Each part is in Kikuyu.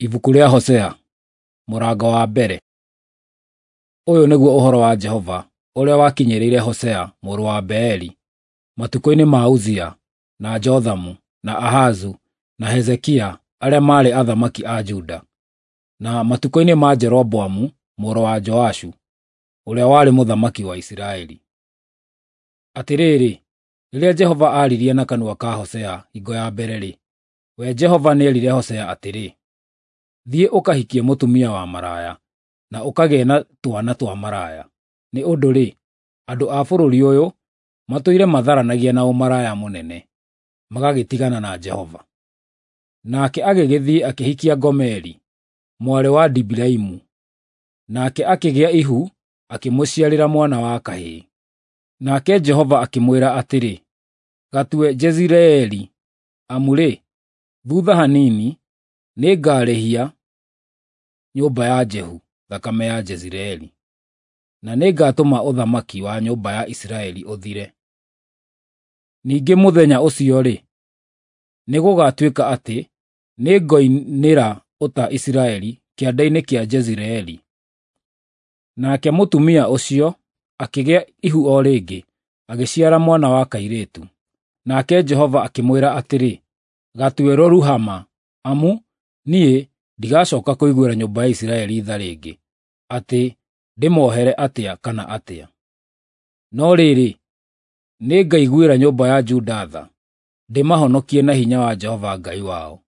Ibuku rĩa Hosea, mũrango wa mbere. Ũyũ nĩguo ũhoro wa Jehova ũrĩa wakinyĩrĩire Hosea mũrũ wa Beeri matukũ-inĩ ma Uzia, na Jothamu, na Ahazu, na Hezekia arĩa maarĩ athamaki a Juda, na matukũ-inĩ ma Jeroboamu mũrũ wa Joashu ũrĩa warĩ mũthamaki wa Isiraeli. Atĩrĩrĩ, rĩrĩa Jehova aaririe na kanua ka Hosea hingo ya mbere-rĩ, we Jehova nĩerire Hosea atĩrĩ, “Thiĩ ũkahikie mũtumia wa maraya, na ũkagĩe na twana twa maraya. Nĩ ũndũ-rĩ, andũ a bũrũri ũyũ matũire matharanagia na ũmaraya mũnene, magagĩtigana na Jehova.” Nake agĩgĩthiĩ akĩhikia Gomeri, mwarĩ wa Dibilaimu, nake akĩgĩa ihu akĩmũciarĩra mwana wa kahĩĩ. Nake Jehova akĩmwĩra atĩrĩ, “Gatue Jezireeli, amu-rĩ, thutha hanini nĩngarĩhia nyũmba ya Jehu thakame ya Jezireeli, na nĩngatũma ũthamaki wa nyũmba ya Isiraeli ũthire. Ningĩ mũthenya ũcio-rĩ, nĩgũgatuĩka atĩ nĩngoinĩra ũta Isiraeli kĩanda-inĩ kĩa Jezireeli.” Nake mũtumia ũcio akĩgĩa ihu o rĩngĩ, agĩciara mwana wa kairĩtu. Nake Jehova akĩmwĩra atĩrĩ, “Gatue Lo-Ruhama, amu niĩ ndigacoka kũiguĩra nyũmba ya Isiraeli tha rĩngĩ, atĩ ndĩmohere atĩa kana atĩa. No rĩrĩ, nĩngaiguĩra nyũmba ya Juda tha, ndĩmahonokie na hinya wa Jehova Ngai wao.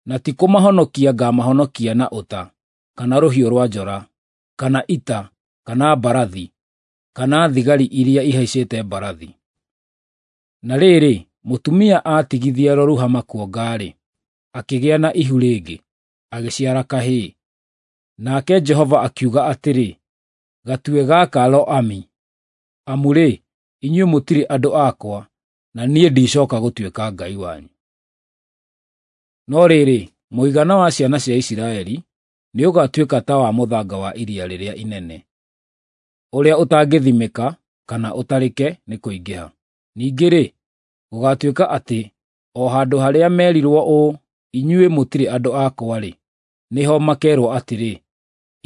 Na ti kũmahonokia ngaamahonokia na ũta, kana rũhiũ rwa njora, kana ita, kana mbarathi, kana thigari iria ihaicĩte mbarathi.” Na rĩrĩ, mũtumia aatigithia Lo-Ruhama kuonga-rĩ, akĩgĩa na ihu rĩngĩ, agĩciara kahĩĩ. Nake Jehova akiuga atĩrĩ, “Gatue gaka Lo-Ami, amu-rĩ, inyuĩ mũtirĩ andũ akwa, na niĩ ndicoka gũtuĩka Ngai wanyu. No rĩrĩ, mũigana wa ciana cia Isiraeli nĩũgatuĩka ta wa mũthanga wa iria rĩrĩa inene, ũrĩa ũtangĩthimĩka kana ũtarĩke nĩ kũingĩha. Ningĩ-rĩ, gũgaatuĩka atĩ o handũ harĩa meerirwo ũũ, ‘Inyuĩ mũtirĩ andũ akwa-rĩ,’ nĩho makeerwo atĩrĩ,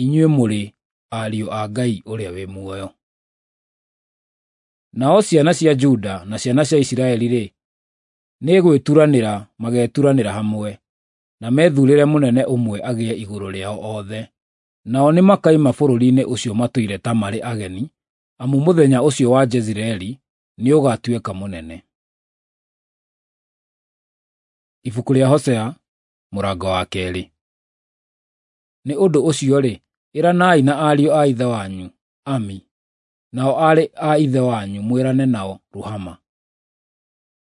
‘Inyuĩ mũrĩ ariũ a Ngai ũrĩa wĩ muoyo.’ Nao ciana cia Juda na ciana cia Isiraeli-rĩ, nĩ gwĩturanĩra mageturanĩra hamwe, na methuurĩre mũnene ũmwe agĩe igũrũ rĩao othe. Nao nĩmakoima bũrũri-inĩ ũcio matũire ta marĩ ageni, amu mũthenya ũcio wa Jezireeli nĩũgatuĩka mũnene. Ibuku rĩa Hosea, mũrango wa keerĩ. Nĩ ũndũ ũcio-rĩ, ĩranai na ariũ a ithe wanyu, Ami, nao aarĩ a ithe wanyu mwĩrane nao Ruhama.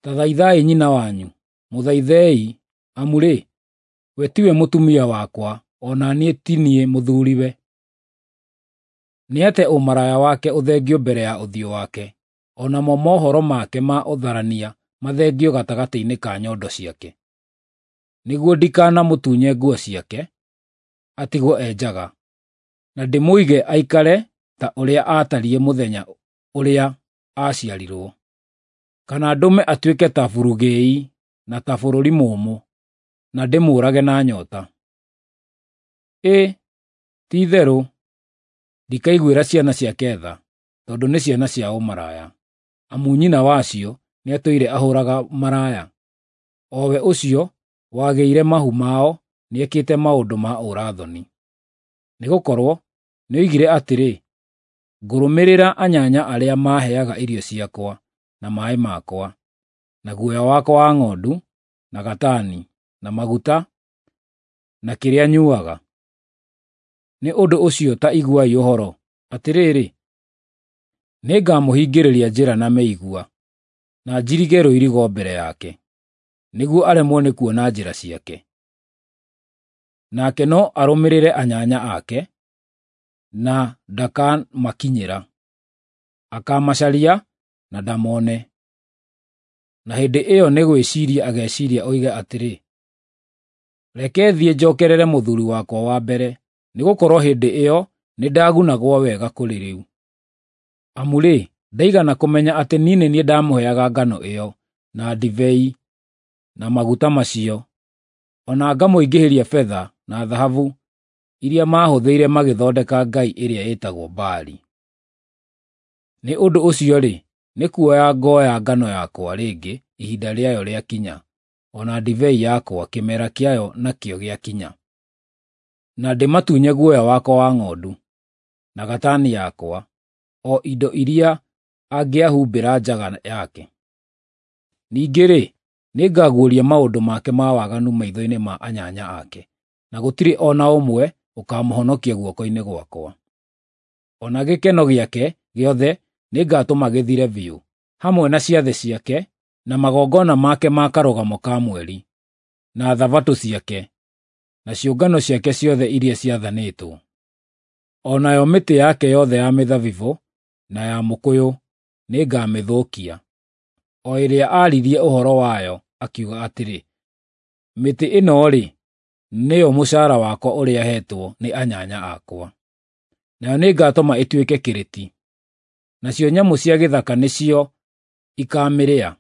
Ta thaithai nyina wanyu, mũthaithei, amu-rĩ, we tiwe mũtumia wakwa, o na niĩ ti niĩ mũthuuriwe. Nĩate ũmaraya wake ũthengio mbere ya ũthiũ wake, o namo mohoro make ma ũtharania mathengio gatagatĩ-inĩ ka nyondo ciake, nĩguo ndikanamũtunye nguo ciake, atigwo e njaga, na ndĩmũige aikare ta ũrĩa aatariĩ mũthenya ũrĩa aaciarirwo, kana ndũme atuĩke ta burugĩi na ta bũrũri mũũmũ, na ndĩmũũrage na nyoota. Ĩ, ti-itherũ ndikaiguĩra ciana ciake tha, tondũ nĩ ciana cia ũmaraya, amu nyina wacio nĩatũire ahũũraga maraya. O we ũcio wagĩire mahu mao nĩekĩte maũndũ ma ũũra-thoni. Nĩgũkorwo nĩoigire atĩrĩ, “Ngũrũmĩrĩra anyanya arĩa maaheaga irio ciakwa na maaĩ makwa, na guoya wakwa wa ng'ondu, na gatani, na maguta, na kĩrĩa nyuuaga.” Nĩ ũndũ ũcio ta iguai ũhoro, atĩrĩrĩ, nĩngamũhingĩrĩria njĩra na mĩigua, na njirige rũirigo mbere yake, nĩguo aremwo nĩ kuona njĩra ciake. Nake no arũmĩrĩre anyanya ake, na ndakamakinyĩra; akaamacaria na ndamone. Na hĩndĩ ĩyo nĩ gwĩciiria ageciiria oige atĩrĩ, “Reke thiĩ njookerere mũthuuri wakwa wa mbere, nĩgũkorwo hĩndĩ ĩyo nĩndagunagwo wega kũrĩ rĩu.” Amu-rĩ, ndaigana kũmenya atĩ niĩ nĩ niĩ ndamũheaga ngano ĩyo, na ndibei, na maguta macio. o na ngamũingĩhĩria betha na thahabu iria maahũthĩire magĩthondeka ngai ĩrĩa ĩtagwo Baali. Nĩ ũndũ ũcio-rĩ, nĩ kuoya ngoya ngano yakwa rĩngĩ ihinda rĩayo rĩakinya, o na ndibei yakwa kĩmera kĩayo nakĩo gĩakinya, na ndĩmatunye guoya wakwa wa ng'ondu, na gatani yakwa, o indo iria angĩahumbĩra njaga yake. Ningĩ-rĩ, nĩngaguũria maũndũ make ma waganu maitho-inĩ ma anyanya ake, na gũtirĩ o na ũmwe ũkaamũhonokia guoko-inĩ gwakwa. O na gĩkeno gĩake gĩothe nĩngatũma gĩthire biũ, hamwe na ciathĩ ciake, na magongona make ma Karũgamo ka Mweri, na Thabatũ ciake, na ciũngano ciake ciothe iria ciathanĩtwo. O nayo mĩtĩ yake yothe ya mĩthabibũ na ya mũkũyũ nĩngamĩthũkia, o ĩrĩa aaririe ũhoro wayo akiuga atĩrĩ, “Mĩtĩ ĩno-rĩ, nĩyo mũcaara wakwa ũrĩa heetwo nĩ anyanya akwa.” Nayo nĩngatũma ĩtuĩke kĩrĩti, nacio nyamũ cia gĩthaka nĩcio ikaamĩrĩa.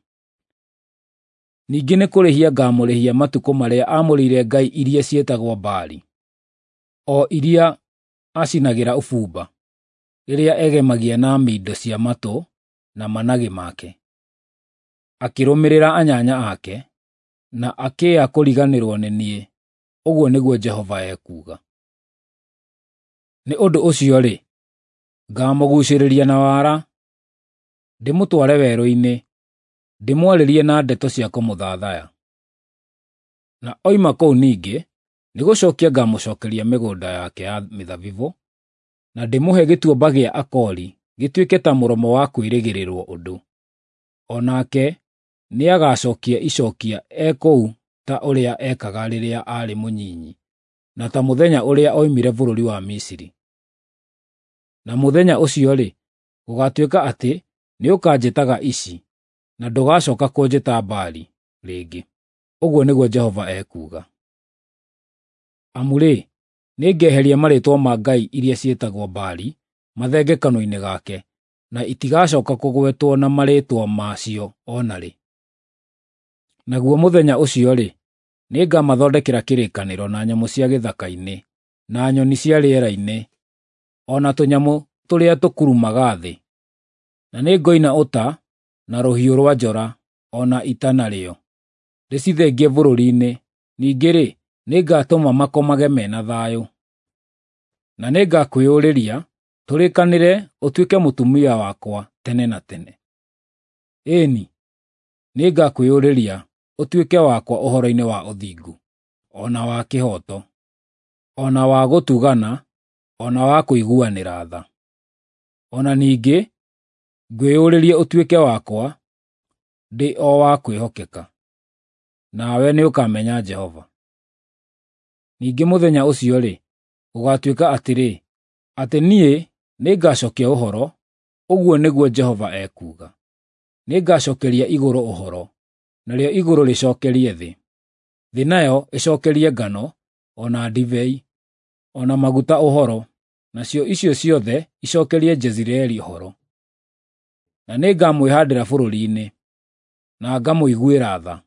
Ningĩ nĩ kũrĩhia ngaamũrĩhia matukũ marĩa aamũrĩire ngai iria ciĩtagwo Baali, o iria acinagĩra ũbumba, rĩrĩa egemagia na mindo cia matũ na managĩ make, akĩrũmĩrĩra anyanya ake, na akĩĩa kũriganĩrwo nĩ niĩ, ũguo nĩguo Jehova ekuuga. Nĩ ũndũ ũcio-rĩ, ngaamũguucĩrĩria na wara, ndĩmũtware werũ-inĩ, ndĩmwarĩrie na ndeto cia kũmũthathaya. Na oima kũu ningĩ, nĩgũcookia ngaamũcookeria mĩgũnda yake ya mĩthabibũ, na ndĩmũhe gĩtuamba gĩa Akori gĩtuĩke ta mũromo wa kwĩrĩgĩrĩrwo ũndũ. O nake nĩagacookia icookia e kũu ta ũrĩa ekaga rĩrĩa aarĩ mũnyinyi, na ta mũthenya ũrĩa oimire bũrũri wa Misiri. Na mũthenya ũcio-rĩ, gũgaatuĩka atĩ nĩũkanjĩtaga Ishi, na ndũgacooka kũnjĩta Baali rĩngĩ, ũguo nĩguo Jehova ekuuga. Amu-rĩ, nĩngeheria marĩĩtwa ma ngai iria ciĩtagwo Baali mathenge kanua-inĩ gake, na itigacooka kũgwetwo na marĩĩtwa macio o na rĩ. Naguo mũthenya ũcio-rĩ, nĩngamathondekera kĩrĩkanĩro na nyamũ cia gĩthaka-inĩ, na nyoni cia rĩera-inĩ, o na tũnyamũ tũrĩa tũkurumaga thĩ. Na nĩngoina ũta na rũhiũ rwa njora o na ita narĩo, ndĩcithengie bũrũri-inĩ. Ningĩ-rĩ, nĩngatũma makomage me na thayũ. Na nĩngakwĩyũrĩria tũrĩkanĩre ũtuĩke mũtumia wakwa tene na tene. Ĩĩ-ni, nĩngakwĩyũrĩria ũtuĩke wakwa ũhoro-inĩ wa ũthingu, o na wa kĩhooto, o na wa gũtugana, o na wa kũiguanĩra tha. O na ningĩ ngwĩyũrĩrie ũtuĩke wakwa, ndĩ o wa kwĩhokeka, nawe nĩũkamenya Jehova. Ningĩ mũthenya ũcio-rĩ, gũgaatuĩka atĩrĩ, atĩ niĩ nĩngacookia ũhoro, ũguo nĩguo Jehova ekuuga. Nĩngacookeria igũrũ ũhoro, narĩo igũrũ rĩcookerie thĩ. Thĩ nayo ĩcookerie ngano, o na ndibei, o na maguta ũhoro, nacio icio ciothe icookerie Jezireeli ũhoro. Na nĩngamwĩhaandĩra bũrũri-inĩ, na ngamũiguĩra tha,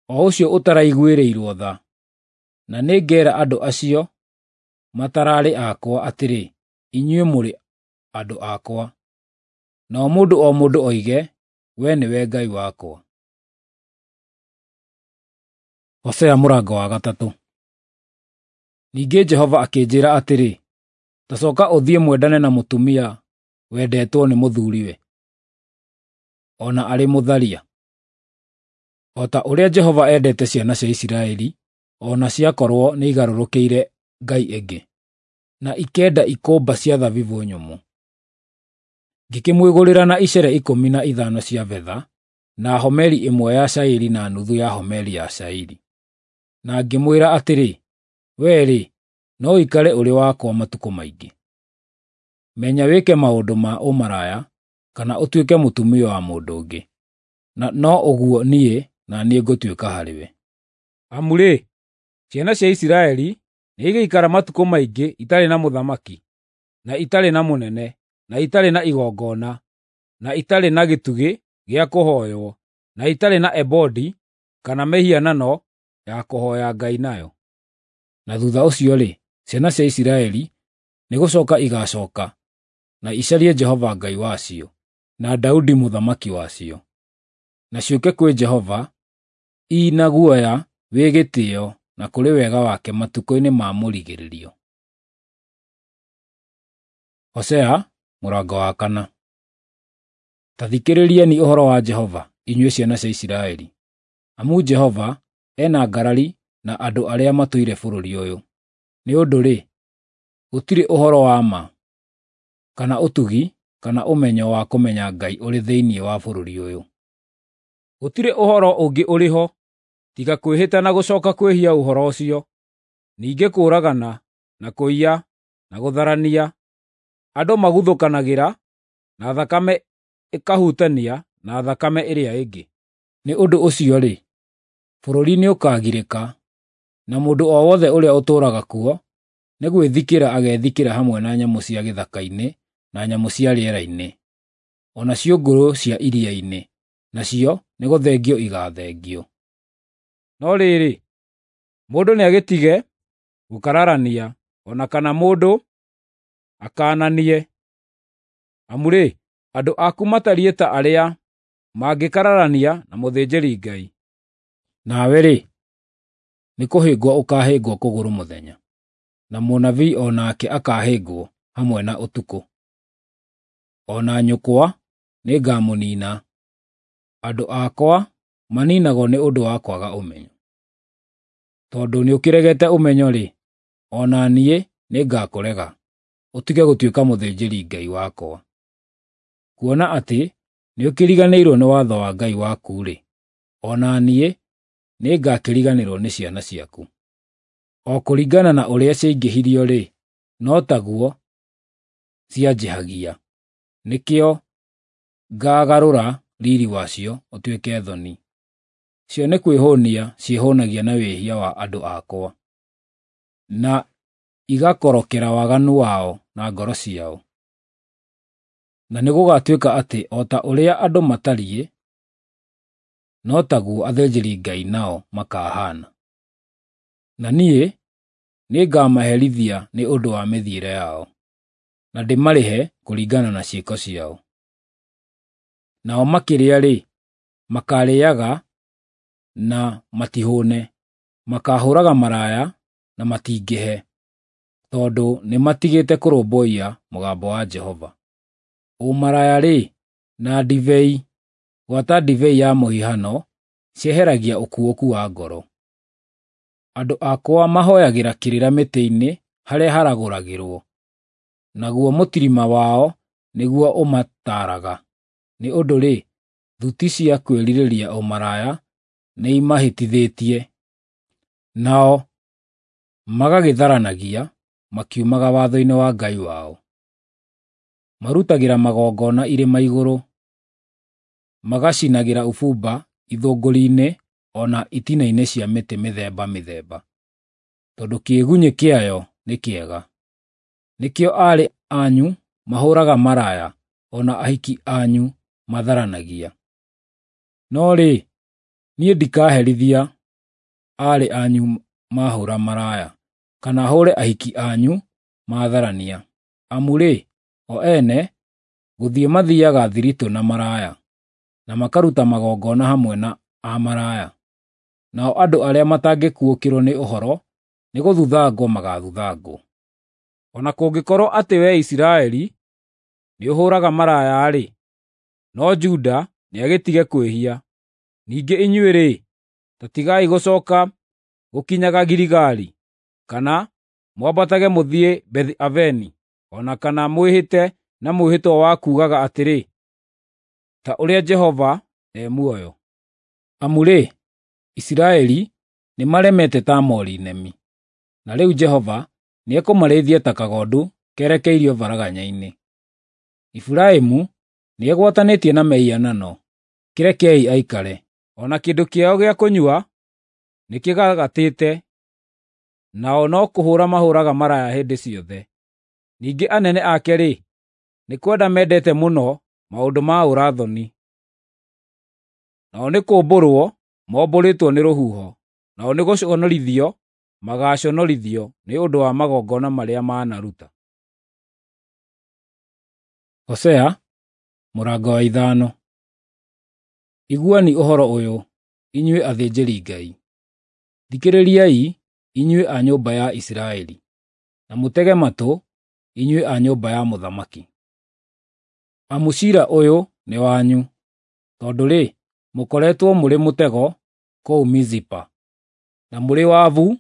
o ũcio ũtaraiguĩrĩirwo tha, na nĩngeera andũ acio matararĩ akwa atĩrĩ, ‘Inyuĩ mũrĩ andũ akwa,’ nao mũndũ o mũndũ oige, ‘Wee nĩwe Ngai wakwa.’ Hosea mũrango wa gatatũ. Ningĩ Jehova akĩnjĩĩra atĩrĩ, “Ta cooka ũthiĩ mwendane na mũtumia wendetwo nĩ mũthuuriwe, o na arĩ mũtharia, o ta ũrĩa Jehova endete ciana cia Isiraeli, o na ciakorwo nĩigarũrũkĩire ngai ĩngĩ, na ikenda ikũmba cia thabibũ nyũmũ.” Ngĩkĩmwĩgũrĩra na icere 15 cia betha, na homeri ĩmwe ya cairi na nuthu ya homeri ya cairi. Na ngĩmwĩra atĩrĩ, “Wee-rĩ, no ũikare ũrĩ wakwa matukũ maingĩ. Menya wĩke maũndũ ma ũmaraya kana ũtuĩke mũtumia wa mũndũ ũngĩ, na no ũguo niĩ na niĩ ngũtuĩka harĩwe.” Amu-rĩ, ciana cia Isiraeli nĩigaikara matukũ maingĩ itarĩ na mũthamaki, na itarĩ na mũnene, na itarĩ na igongona, na itarĩ na gĩtugĩ gĩa kũhooywo, na itarĩ na ebodi kana mĩhianano ya kũhoya Ngai nayo. Na thutha ũcio-rĩ, ciana cia Isiraeli nĩ gũcoka igacoka na icarie Jehova Ngai wacio, na Daudi mũthamaki wacio, na ciũke kwĩ Jehova i na guoya wĩ gĩtĩo na kũrĩ wega wake matukũ-inĩ ma mũrigĩrĩrio. Hosea mũrango wa 4. Ta thikĩrĩrieni ũhoro wa Jehova, inyuĩ ciana cia Isiraeli. Amu Jehova e na ngarari na andũ arĩa matũire bũrũri ũyũ. Nĩ ũndũ-rĩ, gũtirĩ ũhoro wa ma, kana ũtugi, kana ũmenyo wa kũmenya Ngai ũrĩ thĩinĩ wa bũrũri ũyũ. Gũtirĩ ũhoro ũngĩ ũrĩ ho, tiga kwĩhĩta na gũcoka kwĩhia ũhoro ũcio, ningĩ kũũragana, na kũiya, na gũtharania. Andũ maguthũkanagĩra, na thakame ĩkahutania na thakame ĩrĩa ĩngĩ. Nĩ ũndũ ũcio-rĩ, bũrũri nĩũkagirĩka, na mũndũ o wothe ũrĩa ũtũũraga kuo nĩ gwĩthikĩra agethikĩra hamwe na nyamũ cia gĩthaka-inĩ na nyamũ cia rĩera-inĩ, o na ciũngũyũ cia iria-inĩ, nacio nĩgũthengio igathengio. No rĩrĩ, mũndũ nĩagĩtige gũkararania, o na kana mũndũ akaananie. Amu-rĩ, andũ aku matariĩ ta arĩa mangĩkararania na mũthĩnjĩri-Ngai. Nawe-rĩ, nĩkũhĩngwo ũkaahĩngwo kũgũrũ mũthenya, na mũnabii o nake akaahĩngwo hamwe na ũtukũ. O na nyũkwa nĩngamũniina. Andũ akwa maniinagwo nĩ ũndũ wa kwaga ũmenyo. Tondũ nĩũkĩregete ũmenyo-rĩ, o na niĩ nĩngakũrega, ũtige gũtuĩka mũthĩnjĩri-Ngai wakwa. Kuona atĩ nĩũkĩriganĩirwo nĩ watho wa Ngai waku-rĩ, o na niĩ nĩngakĩriganĩrwo nĩ ciana ciaku. O kũringana na ũrĩa ciaingĩhirio-rĩ, no taguo cianjĩhagia. Nĩkĩo ngaagarũra riiri wacio ũtuĩke thoni. Cio nĩ kwĩhũũnia ciĩhũũnagia na wĩhia wa andũ akwa, na igakorokera waganu wao na ngoro ciao. Na nĩgũgatuĩka atĩ o ta ũrĩa andũ matariĩ, no taguo athĩnjĩri-Ngai nao makahaana. Na niĩ nĩngamaherithia nĩ ũndũ wa mĩthiĩre yao, na ndĩmarĩhe kũringana na ciĩko ciao. Nao makĩrĩa-rĩ, makaarĩĩaga na matihũũne, makaahũũraga maraya na matingĩhe, tondũ nĩmatigĩte kũrũmbũiya mũgambo wa Jehova. Ũmaraya-rĩ, na ndibei, gwata ndibei ya mũhihano, cieheragia ũkuũku wa ngoro. Andũ akwa mahooyagĩra kĩrĩra mĩtĩ-inĩ harĩa haragũragĩrwo, naguo mũtirima wao nĩguo ũmataaraga. Nĩ ũndũ-rĩ, thuti cia kwĩrirĩria ũmaraya nĩimahĩtithĩtie, nao magagĩtharanagia makiumaga watho-inĩ wa Ngai wao. Marutagĩra magongona irĩma igũrũ, magacinagĩra ũbumba ithũngũri-inĩ o na itina-inĩ cia mĩtĩ mĩthemba mĩthemba, tondũ kĩĩgunyĩ kĩayo nĩ kĩega. Nĩkĩo aarĩ anyu mahũũraga maraya, o na ahiki anyu matharanagia. No rĩ, niĩ ndikaherithia aarĩ anyu maahũũra maraya, kana hũũre ahiki anyu maatharania. Amu-rĩ, o ene gũthiĩ mathiiaga thiritũ na maraya, na makaruta magongona hamwe na amaraya. Nao andũ arĩa matangĩkuũkĩrwo nĩ ũhoro nĩgũthuthangwo magaathuthangwo. O na kũngĩkorwo atĩ wee Isiraeli nĩũhũũraga maraya-rĩ, no Juda nĩagĩtige kwĩhia. Ningĩ inyuĩ-rĩ, ta tigai gũcooka gũkinyaga Giligali, kana mwambatage mũthiĩ Bethi-Aveni, o na kana mwĩhĩte na mwĩhĩtwa wa kuugaga atĩrĩ, ‘Ta ũrĩa Jehova e muoyo.’ Amu-rĩ, Isiraeli nĩmaremete ta moori nemi, na rĩu Jehova nĩekũmarĩithia ta kagondu kerekeirio varaganya-inĩ. Efiraimu nĩegwatanĩtie na mĩhianano, kĩrekei aikare. O na kĩndũ kĩao gĩa kũnyua nĩkĩgagatĩte, nao no kũhũũra mahũũraga maraya hĩndĩ ciothe. Ningĩ anene ake-rĩ, nĩ kwenda mendete mũno maũndũ ma ũũra-thoni. Nao nĩ kũũmbũrwo mombũrĩtwo nĩ rũhuho, Nao nĩ gũconorithio magaaconorithio nĩ ũndũ wa magongona marĩa maanaruta. Hosea mũrango wa 5. Iguani ũhoro ũyũ, inyuĩ athĩnjĩri-Ngai; thikĩrĩriai, inyuĩ a nyũmba ya Isiraeli, na mũtege matũ, inyuĩ a nyũmba ya mũthamaki. Amu ciira ũyũ nĩ wanyu, tondũ-rĩ, mũkoretwo mũrĩ mũtego kũu Mizipa, na mũrĩ wabu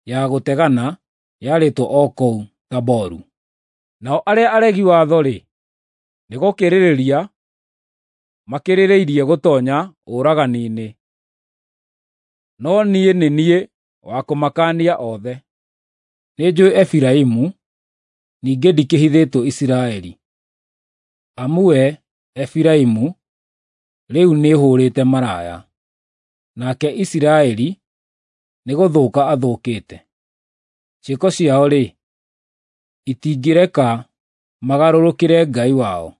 ya gũtegana yarĩtwo o kũu Taboru. Nao arĩa aregi watho-rĩ, nĩ gũkĩrĩrĩria makĩrĩrĩirie gũtoonya ũragani-inĩ, no niĩ nĩ niĩ wa kũmakaania othe. Nĩnjũũĩ Efiraimu, ningĩ ndikĩhithĩtwo Isiraeli. Amu we, Efiraimu, rĩu nĩũhũũrĩte maraya, nake Isiraeli nĩgũthũka athũkĩte. Ciĩko ciao-rĩ, itingĩreka magarũrũkĩre Ngai wao,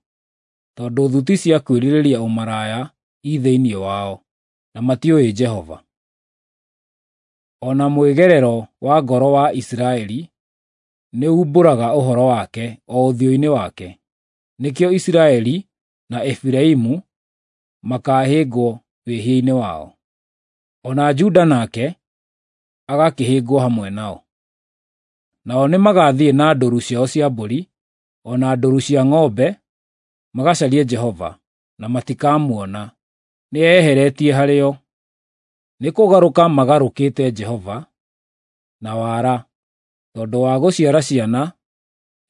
tondũ thuti cia kwĩrirĩria ũmaraya i thĩinĩ wao, na matiũĩ Jehova. O na mwĩgerero wa ngoro wa Isiraeli nĩumbũraga ũhoro wake o ũthiũ-inĩ wake. Nĩkĩo Isiraeli na Efiraimu makaahĩngwo wĩhia-inĩ wao, o na Juda nake agakĩhĩngwo hamwe nao. Nao nĩmagathiĩ na ndũũru ciao cia mbũri, o na ndũũru cia ng'ombe, magacarie Jehova, na matikamuona, nĩeyeheretie harĩo. Nĩ kũgarũka magarũkĩte Jehova na wara, tondũ wa gũciara ciana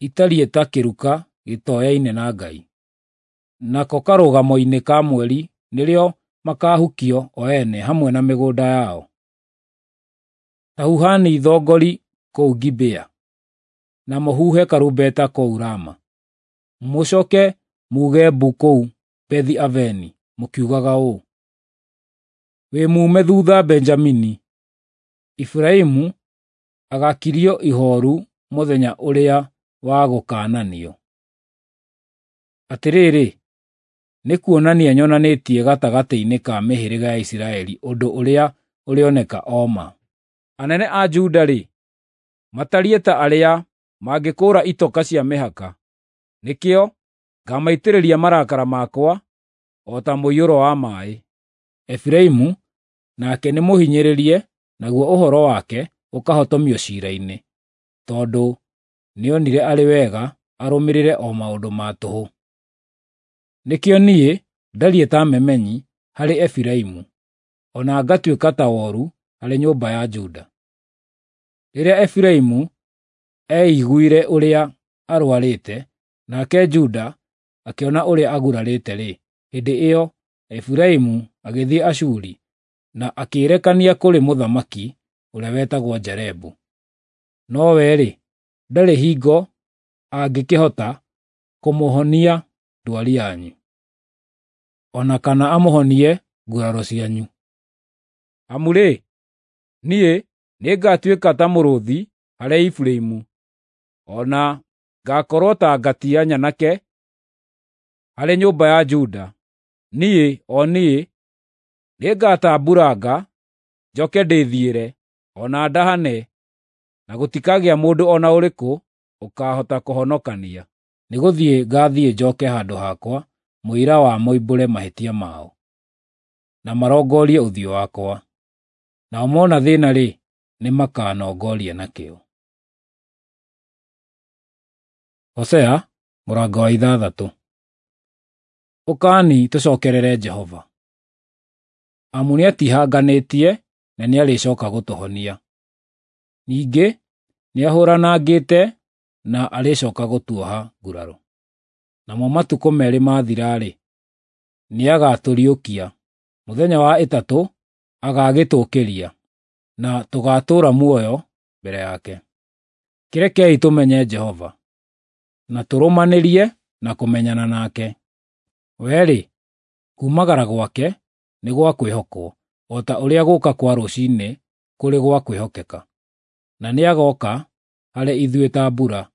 itariĩ ta kĩruka gĩtoyaine na Ngai. Nako karũgamo-inĩ ka mweri nĩrĩo makaahukio o ene hamwe na mĩgũnda yao. Ta huhani thongori kũu Gibea, na mũhuhe karumbeta kũu Rama. Mũcooke muuge mbu kũu Bethi-Aveni mũkiugaga ũũ: Wĩ muume thuutha Benjamini. Efiraimu agaakirio ihooru mũthenya ũrĩa wa gũkaananio. Atĩrĩrĩ, nĩ kuonania nyonanĩtie gatagatĩ-inĩ ka mĩhĩrĩga ya Isiraeli ũndũ ũrĩa ũrĩoneka o ma. Anene a Juda-rĩ, matariĩ ta arĩa mangĩkũũra itoka cia mĩhaka. Nĩkĩo ngamaitĩrĩria marakara makwa o ta mũiyũro wa maaĩ. Efiraimu nake nĩmũhinyĩrĩrie, naguo ũhoro wake ũkahotomio ciira-inĩ, tondũ nĩonire arĩ wega arũmĩrĩre o maũndũ ma tũhũ. Nĩkĩo niĩ ndariĩ ta memenyi harĩ Efiraimu, o na ngatuĩka ta woru harĩ nyũmba ya Juda. Rĩrĩa Efiraimu eiguire ũrĩa arũarĩte, nake Juda akĩona ũrĩa agurarĩte-rĩ, hĩndĩ ĩyo Efiraimu agĩthiĩ Ashuri na akĩĩrekania kũrĩ mũthamaki ũrĩa wetagwo Jarebu. Nowe-rĩ, ndarĩ hingo angĩkĩhota kũmũhonia ndwari yanyu, o na kana amũhonie nguraro cianyu. Amu-rĩ, niĩ nĩngatuĩka ta mũrũũthi harĩ Efiraimu, o na ngakorwo ta ngatia nyanake harĩ nyũmba ya Juda. Niĩ, o niĩ, nĩngatambuuranga, njoke ndĩthiĩre, o na ndahane, na gũtikagĩa mũndũ o na ũrĩkũ ũkaahota kũhonokania. Nĩgũthiĩ ngaathiĩ njooke handũ hakwa mũira wa moimbũre mahĩtia mao, na marongorie ũthiũ wakwa. Nao mona thĩĩna-rĩ, nĩmakanongoria nakĩo. Hosea mũrango wa 6. Ũkani tũcookerere Jehova, amu nĩatihanganĩtie na nĩarĩcooka gũtũhonia. Ningĩ nĩahũranangĩte na arĩcooka gũtuoha nguraro. Namo matukũ 2 mathira-rĩ, nĩagatũriũkia, mũthenya wa 3 agagĩtũũkĩria, na tũgaatũũra muoyo mbere yake. Kĩrekei tũmenye Jehova, na tũrũmanĩrie na kũmenyana nake. We-rĩ, kuumagara gwake nĩ gwa kwĩhokwo, o ta ũrĩa gũũka kwa rũciinĩ kũrĩ gwa kwĩhokeka. Na nĩagooka harĩ ithuĩ ta mbura,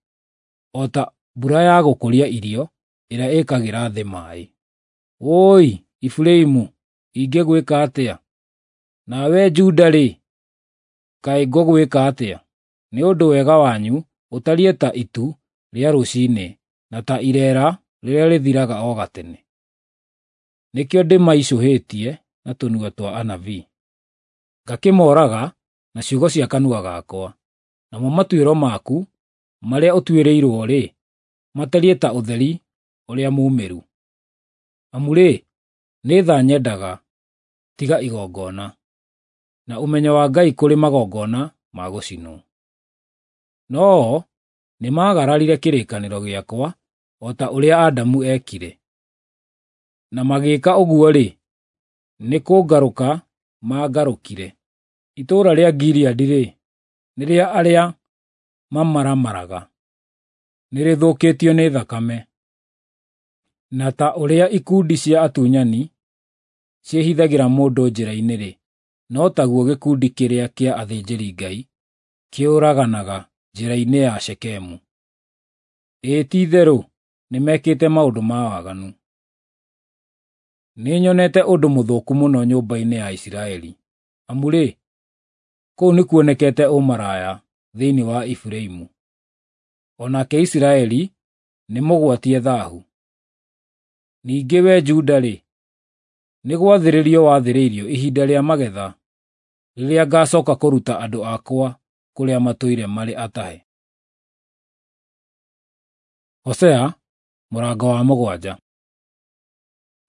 o ta mbura ya gũkũria irio ĩrĩa ĩĩkagĩra thĩ maaĩ. Wũi Efiraimu, ingĩgwĩka atĩa? Nawe Juda-rĩ, Kaĩ ngũgwĩka atĩa? Nĩ ũndũ wega wanyu ũtariĩ ta itu rĩa rũcinĩ, na ta ireera rĩrĩa rĩthiraga o gatene. Nĩkĩo ndĩmaicũhĩtie na tũnua twa anabii, ngakĩmooraga na ciugo cia kanua gakwa. Namo matuĩro maku marĩa ũtuĩrĩirwo-rĩ, matariĩ ta ũtheri ũrĩa muumĩru. Amu-rĩ, nĩ tha nyendaga, tiga igongona, na ũmenyo wa Ngai kũrĩ magongona ma gũcinwo. No-o nĩmaagararire kĩrĩkanĩro gĩakwa o ta ũrĩa Adamu eekire. Na magĩĩka ũguo-rĩ, nĩ kũngarũka maangarũkire. Itũũra rĩa Gileadi-rĩ, nĩ rĩa arĩa mamaramaraga, nĩrĩthũkĩtio nĩ thakame. Na ta ũrĩa ikundi cia atunyani ciĩhithagĩra mũndũ njĩra-inĩ-rĩ, no taguo gĩkundi kĩrĩa kĩa athĩnjĩri-Ngai kĩũraganaga njĩra-inĩ ya Shekemu. Ĩĩ ti-itherũ nĩmekĩte maũndũ ma waganu. Nĩnyonete ũndũ mũthũku mũno nyũmba-inĩ ya Isiraeli. Amu-rĩ, kũu nĩkuonekete ũmaraya thĩinĩ wa Efiraimu, o nake Isiraeli nĩmũgwatie thaahu. Ningĩ wee Juda-rĩ, nĩ gwathĩrĩrio wathĩrĩirio ihinda rĩa magetha, rĩrĩa ngacooka kũruta andũ akwa kũrĩa matũire marĩ atahe. Hosea mũrango wa 7.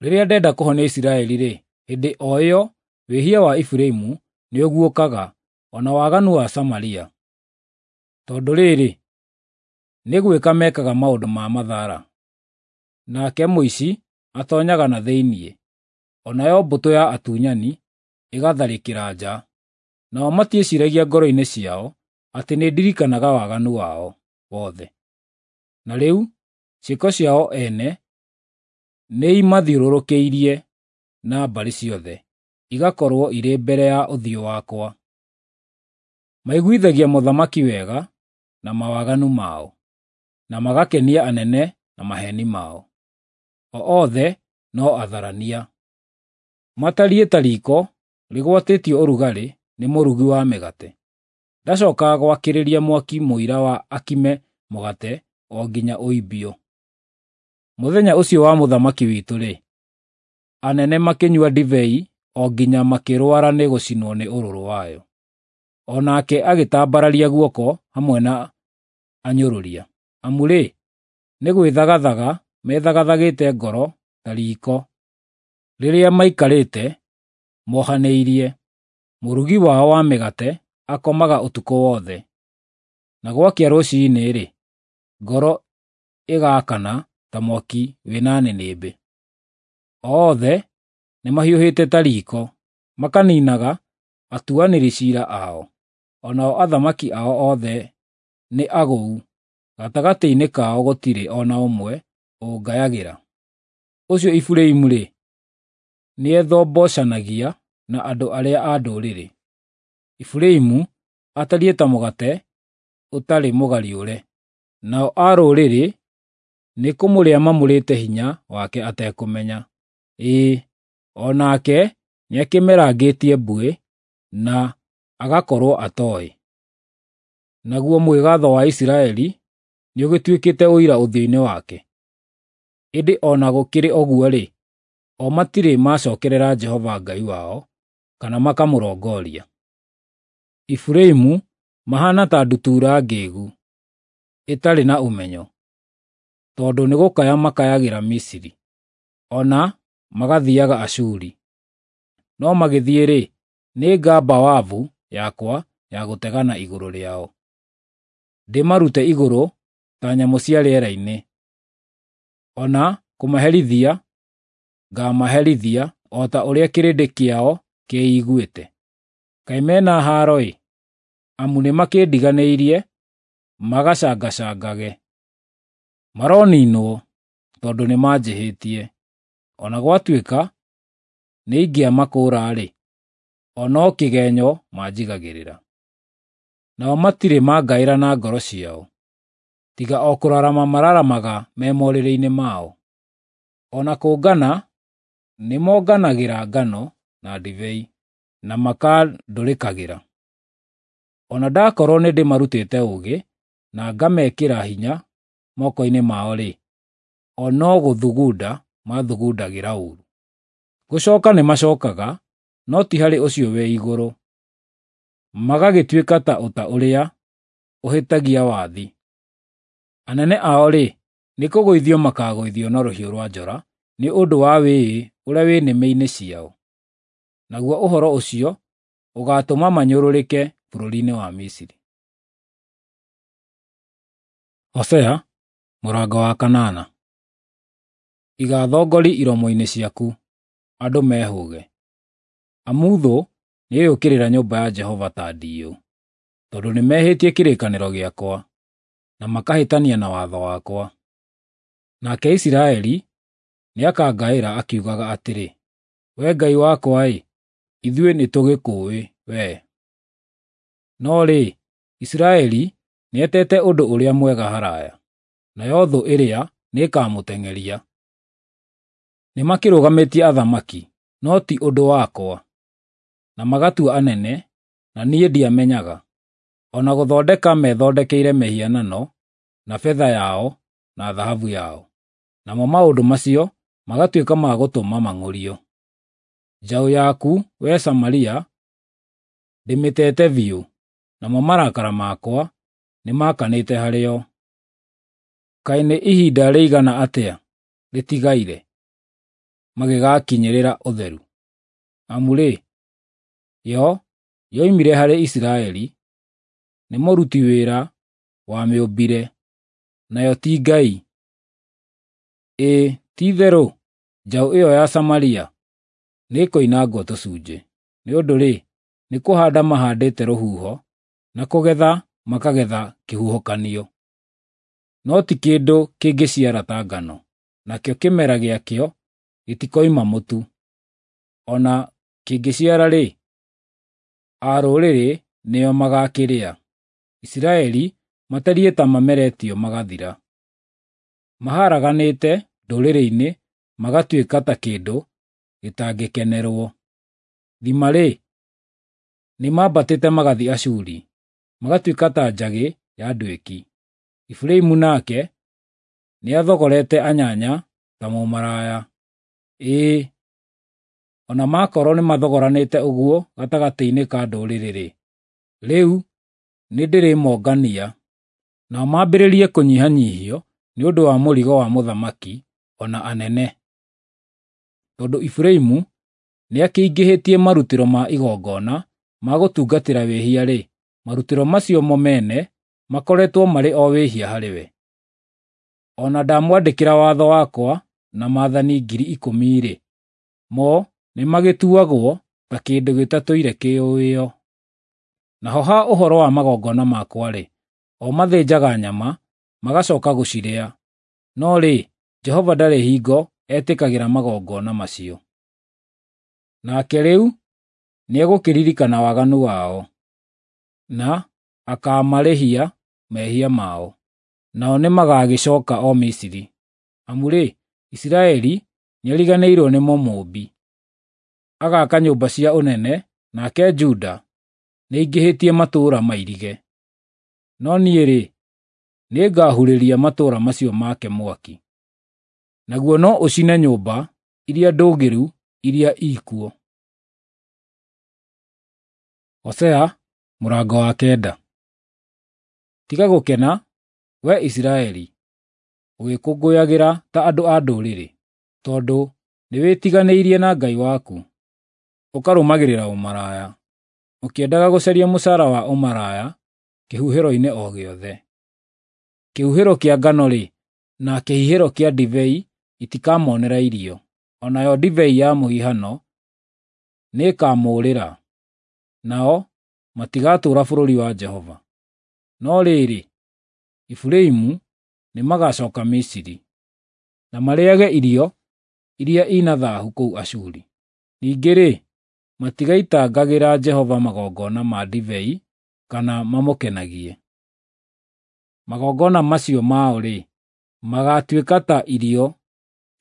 Rĩrĩa ndenda kũhonia Isiraeli-rĩ, hĩndĩ o ĩyo wĩhia wa Efiraimu nĩũguũkaga, o na waganu wa Samaria. Tondũ rĩrĩ, nĩ gwĩka mekaga maũndũ ma mathara. Nake mũici atoonyaga na thĩinĩ, o nayo mbũtũ ya atunyani ĩgatharĩkĩra nja. Nao matiĩciiragia ngoro-inĩ ciao atĩ nĩndirikanaga waganu wao wothe. Na rĩu ciĩko ciao ene nĩimathiũrũrũkĩirie na mbarĩ ciothe, igakorwo irĩ mbere ya ũthiũ wakwa. Maiguithagia mũthamaki wega na mawaganu mao, na magakenia anene na maheeni mao. O othe no atharania. Matariĩ ta riiko rĩgwatĩtio ũrugarĩ nĩ mũrugi wa mĩgate. Ndacookaga gwakĩrĩria mwaki mũira wa akime mũgate o nginya ũimbio. Mũthenya ũcio wa mũthamaki witũ-rĩ, anene makĩnyua ndibei o nginya makĩrũara nĩ gũcinwo nĩ ũrũrũ wayo. O nake agĩtambararia guoko hamwe na anyũrũria. Amu-rĩ, nĩ gwĩthagathaga methagathagĩte ngoro ta riiko rĩrĩa maikarĩte mohanĩirie. Mũrugi wao wa mĩgate akomaga ũtukũ wothe, na gwakĩa rũciinĩ-rĩ, ngoro ĩgaakana ta mwaki wĩna nĩnĩmbĩ. Othe nĩmahiũhĩte ta riiko, makaniinaga atuanĩri ciira ao. O nao athamaki ao othe nĩ agũu, gatagatĩ-inĩ kao gũtirĩ o na ũmwe ũngayagĩra. Ũcio Efiraimu-rĩ, nĩethombocanagia na andũ arĩa a ndũrĩrĩ. Efiraimu atariĩ ta mũgate ũtarĩ mũgariũre, nao a rũrĩrĩ nĩkũmũrĩa mamũrĩte hinya wake atekũmenya. Ĩĩ, o nake nĩakĩmerangĩtie mbuĩ, na agakorwo atooĩ. Naguo mwĩgaatho wa Isiraeli nĩũgĩtuĩkĩte ũira ũthiũ-inĩ wake. Ĩndĩ o na gũkĩrĩ ũguo-rĩ, o matirĩ macookerera Jehova Ngai wao, kana makamũrongoria. Efiraimu mahaana ta ndutura ngĩĩgu, ĩtarĩ na ũmenyo, tondũ nĩ gũkaya makayagĩra Misiri, o na magathiiaga Ashuri. No magĩthiĩ-rĩ, nĩngamba wabu yakwa ya gũtegana igũrũ rĩao, ndĩmarute igũrũ ta nyamũ cia rĩera-inĩ. O na kũmaherithia ngaamaherithia o ta ũrĩa kĩrĩndĩ kĩao kĩiguĩte. Kaĩ me na haaro-ĩ! Amu nĩmakĩndiganĩirie magacangacangage. Maroniinwo tondũ nĩmanjĩhĩtie. O na gwatuĩka nĩingĩamakũũra-rĩ, o no kĩgenyo manjigagĩrĩra. Nao matirĩ mangaĩra na ngoro ciao, tiga o kũrarama mararamaga me morĩrĩ-inĩ mao. O na kũngana nĩmonganagĩra ngano na ndibei, na makandũrĩkagĩra. O na ndakorũo nĩndĩmarutĩte ũũgĩ, na ngamekĩra hinya moko-inĩ mao-rĩ, o no gũthugunda maathugundagĩra ũũru. Gũcoka nĩmacokaga, no ti harĩ ũcio wĩ igũrũ, magagĩtuĩka ta ũta ũrĩa ũhĩtagia wathi. Anene ao-rĩ, nĩ kũgũithio makagũithio na rũhiũ rũa njora nĩ ũndũ wa wĩĩ ũrĩa wĩ nĩmĩ-inĩ ciao, naguo ũhoro ũcio ũgaatũma manyũrũrĩke bũrũri-inĩ wa Misiri. Hosea mũrango wa kanana. Iga thongori iromo-inĩ ciaku, andũ mehũũge, amu thũ nĩĩrĩũkĩrĩra nyũmba ya Jehova ta ndiyũ, tondũ nĩmehĩtie kĩrĩkanĩro gĩakwa, na makahĩtania na watho wakwa. Nake Isiraeli nĩakangaĩra akiugaga atĩrĩ, Wee Ngai wakwa-ĩ, ithuĩ nĩtũgĩkũũĩ wee. No rĩ, Isiraeli nĩetete ũndũ ũrĩa mwega haraya, nayo thũ ĩrĩa nĩĩkamũteng'eria. Nĩmakĩrũgamĩtie athamaki, no ti ũndũ wakwa, na magatua anene, na niĩ ndiamenyaga. O na gũthondeka methondekeire mĩhianano na betha yao na thahabu yao, namo maũndũ macio magatuĩka ma gũtũma mang'ũrio. Njaũ yaku, wee Samaria, ndĩmĩtete biũ, namo marakara makwa nĩmakanĩte harĩ yo. Kaĩ nĩ ihinda rĩigana atĩa rĩtigaire magĩgakinyĩrĩra ũtheru? Amu-rĩ, yo yoimire harĩ Isiraeli, nĩ mũruti wĩra wamĩũmbire, nayo ti Ngai. Ĩĩ, ti-itherũ njaũ ĩyo ya Samaria nĩĩkoinangwo tũcunjĩ, nĩ ũndũ-rĩ, nĩ kũhaanda mahaandĩte rũhuho, na kũgetha makagetha kĩhuhũkanio. No ti kĩndũ kĩngĩciara ta ngano, nakĩo kĩmera gĩakĩo gĩtikoima mũtu. O na kĩngĩciara-rĩ, a rũrĩrĩ nĩo magaakĩrĩa. Isiraeli matariĩ ta mameretio magathira. Maharaganĩte ndũrĩrĩ-inĩ magatuĩka ta kĩndũ gĩtangĩkenerwo. Thima-rĩ, nĩmambatĩte magathiĩ Ashuri, magatuĩka ta njagĩ ya nduĩki. Efiraimu nake nĩathogorete anyanya ta mũmaraya. Ĩĩ, o na makorwo nĩmathogoranĩte ũguo gatagatĩ-inĩ ka ndũrĩrĩ-rĩ, rĩu nĩndĩrĩmongania, nao mambĩrĩrie kũnyihanyiihio nĩ ũndũ wa mũrigo wa mũthamaki o na anene. Tondũ Efiraimu nĩakĩingĩhĩtie marutĩro ma igongona ma gũtungatĩra wĩhia-rĩ, marutĩro macio mo mene makoretwo marĩ o wĩhia harĩ we. O na ndamwandĩkĩra watho wakwa na maathani 10,000-rĩ, mo nĩmagĩtuagwo ta kĩndũ gĩtatũire kĩũĩo. Naho ha ũhoro wa magongona makwa-rĩ, o mathĩnjaga nyama, magacoka gũcirĩa, no rĩ, Jehova ndarĩ hingo etĩkagĩra magongona macio. Nake rĩu nĩegũkĩririkana waganu wao, na akaamarĩhia mehia mao, nao nĩmagagĩcooka o Misiri. Amu-rĩ, Isiraeli nĩariganĩirwo nĩ Mũmũũmbi, agaaka nyũmba cia ũnene, nake Juda nĩaingĩhĩtie matũũra mairige. No niĩ-rĩ, nĩngahurĩria matũũra macio make mwaki, naguo no ũcine nyũmba iria ndũũgĩru iria ikuo. Hosea mũrango wa kenda. Tiga gũkena, wee Isiraeli, ũgĩkũngũyagĩra ta andũ a ndũrĩrĩ, tondũ nĩwĩtiganĩirie na Ngai waku, ũkarũmagĩrĩra ũmaraya, ũkĩendaga gũcaria mũcaara wa ũmaraya kĩhuhĩro-inĩ o gĩothe. Kĩhuhĩro kĩa ngano-rĩ, na kĩhihĩro kĩa ndibei itikamonera irio, o nayo ndibei ya mũhihano nĩĩkamũũrĩra, nao matigatũũra bũrũri wa Jehova. No rĩrĩ, Efiraimu nĩmagacooka Misiri, na marĩĩage irio iria i na thaahu kũu Ashuri. Ningĩ-rĩ, matigaitangagĩra Jehova magongona ma ndibei kana mamũkenagie. Magongona macio mao-rĩ, magaatuĩka ta irio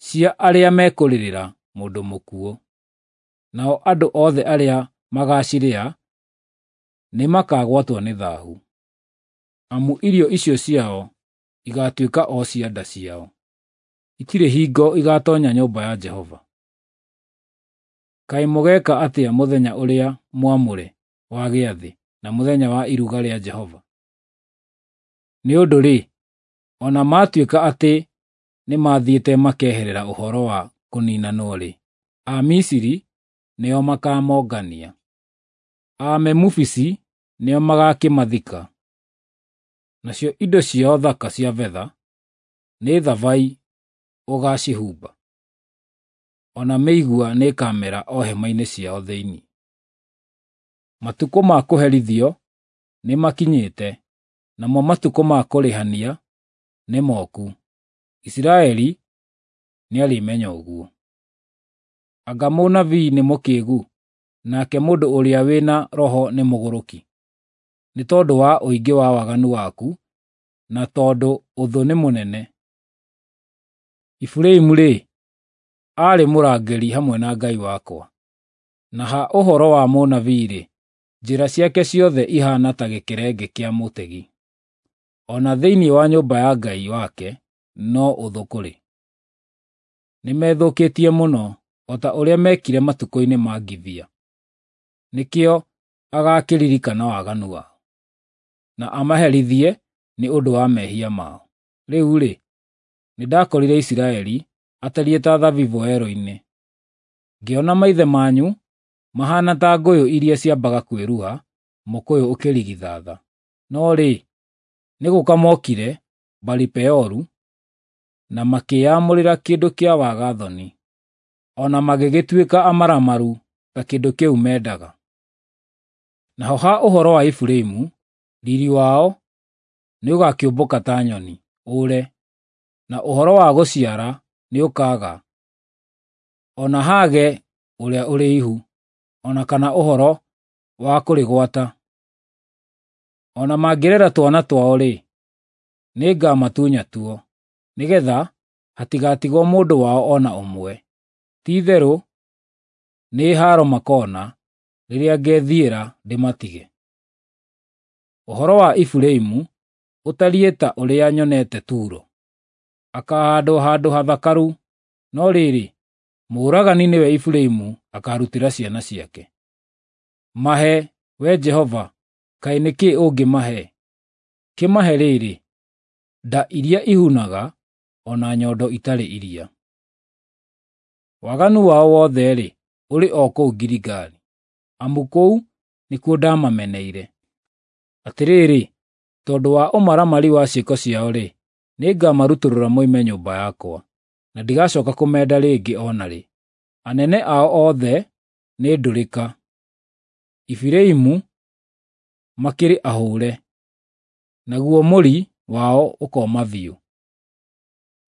cia arĩa mekũrĩrĩra mũndũ mũkuũ, nao andũ othe arĩa magaacirĩa nĩmakagwatwo nĩ thahu, amu irio icio ciao igatuĩka o cia nda ciao, itirĩ hingo igatonya nyũmba ya Jehova. Kaĩ mũgeka atĩa mũthenya ũrĩa mwamũre wa gĩathĩ, na mũthenya wa iruga rĩa Jehova? Nĩ ũndũ-rĩ, o na maatuĩka atĩ nĩmathiĩte makeherera ũhoro wa kũninanwo-rĩ, Amisiri nĩo makamongania, Amemufisi nĩo magakĩmathika. Nacio indo ciao thaka cia betha nĩ thabai ũgacihumba, o na mĩigua nĩĩkamera o hema-inĩ ciao thĩinĩ. Matukũ ma kũherithio nĩmakinyĩte, namo matukũ ma kũrĩhania nĩmoku. Isiraeli nĩarĩmenya ũguo. Anga mũnabii nĩ mũkĩgu, nake mũndũ ũrĩa wĩ na roho nĩ mũgũrũki? Nĩ tondũ wa ũingĩ wa waganu waku, na tondũ ũthũ nĩ mũnene. Efiraimu-rĩ, aarĩ mũrangĩri hamwe na Ngai wakwa, na ha ũhoro wa mũnabii-rĩ, njĩra ciake ciothe ihaana ta gĩkerenge kĩa mũtegi. O na thĩinĩ wa nyũmba ya Ngai wake no ũthũ kũrĩ. Nĩmethũkĩtie mũno, o ta ũrĩa meekire matukũ-inĩ ma Gibea. Nĩkĩo agakĩririkana waganu wao, na amaherithie nĩ ũndũ wa mehia mao. Rĩu-rĩ, nĩndakorire Isiraeli atariĩ ta thabibũ werũ-inĩ. Ngĩona maithe manyu mahaana ta ngũyũ iria ciambaga kwĩruha mũkũyũ ũkĩrigithatha. No rĩ, nĩ gũũka mokire Baali-Peoru, na makĩĩamũrĩra kĩndũ kĩa waga-thoni, o na magĩgĩtuĩka amaramaru ta kĩndũ kĩu mendaga. Naho ha ũhoro wa Efiraimu, riiri wao nĩũgakĩũmbũka ta nyoni, ũũre, na ũhoro wa gũciara nĩũkaaga, o na haage ũrĩa ũrĩ ihu, o na kana ũhoro wa kũrĩgwata. O na mangĩrera twana twao-rĩ, nĩngamatunya tuo, nĩgeetha hatigatigwo mũndũ wao o na ũmwe. Ti-itherũ nĩ haaro makoona rĩrĩa ngethiĩra ndĩmatige. Ũhoro wa Efiraimu ũtariĩ ta ũrĩa nyonete Turo: akaahaandwo handũ hathakaru, no rĩrĩ, mũũragani nĩwe Efiraimu akaarutĩra ciana ciake. Mahe, Wee Jehova, kaĩ nĩ kĩĩ ũngĩmahe? Kĩmahe rĩrĩ, nda iria ihunaga, o na nyondo itarĩ iria. Waganu wao wothe-rĩ, ũrĩ o kũu Giligali, amu kũu nĩkuo ndamameneire. Atĩrĩrĩ, tondũ wa ũmaramari wa ciĩko ciao-rĩ, nĩngamarutũrũra moime nyũmba yakwa, na ndigacooka kũmenda rĩngĩ o na rĩ. Anene ao othe nĩ ndũrĩka, Efiraimu makĩrĩ ahũre, naguo mũri wao ũkooma biũ,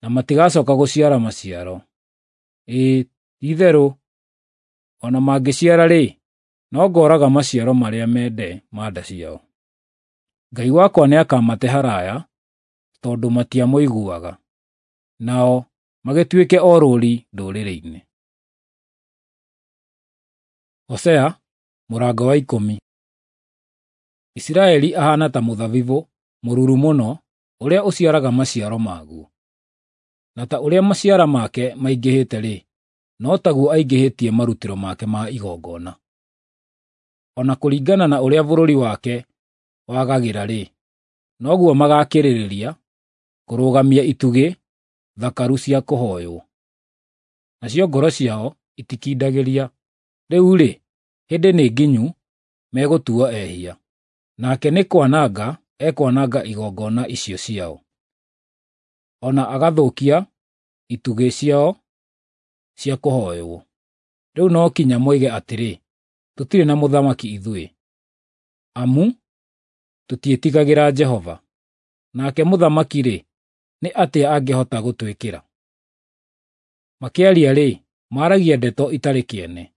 na matigacooka gũciara maciaro. Ĩĩ, ti-itherũ, o na mangĩciara-rĩ, no ngooraga maciaro marĩa mende ma nda ciao. Ngai wakwa nĩakamate haraaya, tondũ matiamũiguaga, nao magĩtuĩke orũũri ndũrĩrĩ-inĩ. Hosea mũrango wa 10. Isiraeli ahaana ta mũthabibũ mũruru mũno ũrĩa ũciaraga maciaro maguo. Na ta ũrĩa maciara make maingĩhĩte-rĩ, no taguo aingĩhĩtie marutĩro make ma igongona. O na kũringana na ũrĩa bũrũri wake wagagĩra-rĩ, noguo magaakĩrĩrĩria kũrũgamia itugĩ thakaru cia kũhooywo. Nacio ngoro ciao itikindagĩria. Rĩu-rĩ, hĩndĩ nĩ nginyu megũtuo ehia, nake nĩ kwananga ekwananga igongona icio ciao, o na agathũkia itugĩ ciao cia kũhooywo. Rĩu no kinya moige atĩrĩ, “Tũtirĩ na mũthamaki ithuĩ, amu tũtiĩtigagĩra Jehova. Nake mũthamaki-rĩ, nĩ atĩa angĩhota gũtwĩkĩra?” Makĩaria-rĩ, maaragia ndeto itarĩ kĩene.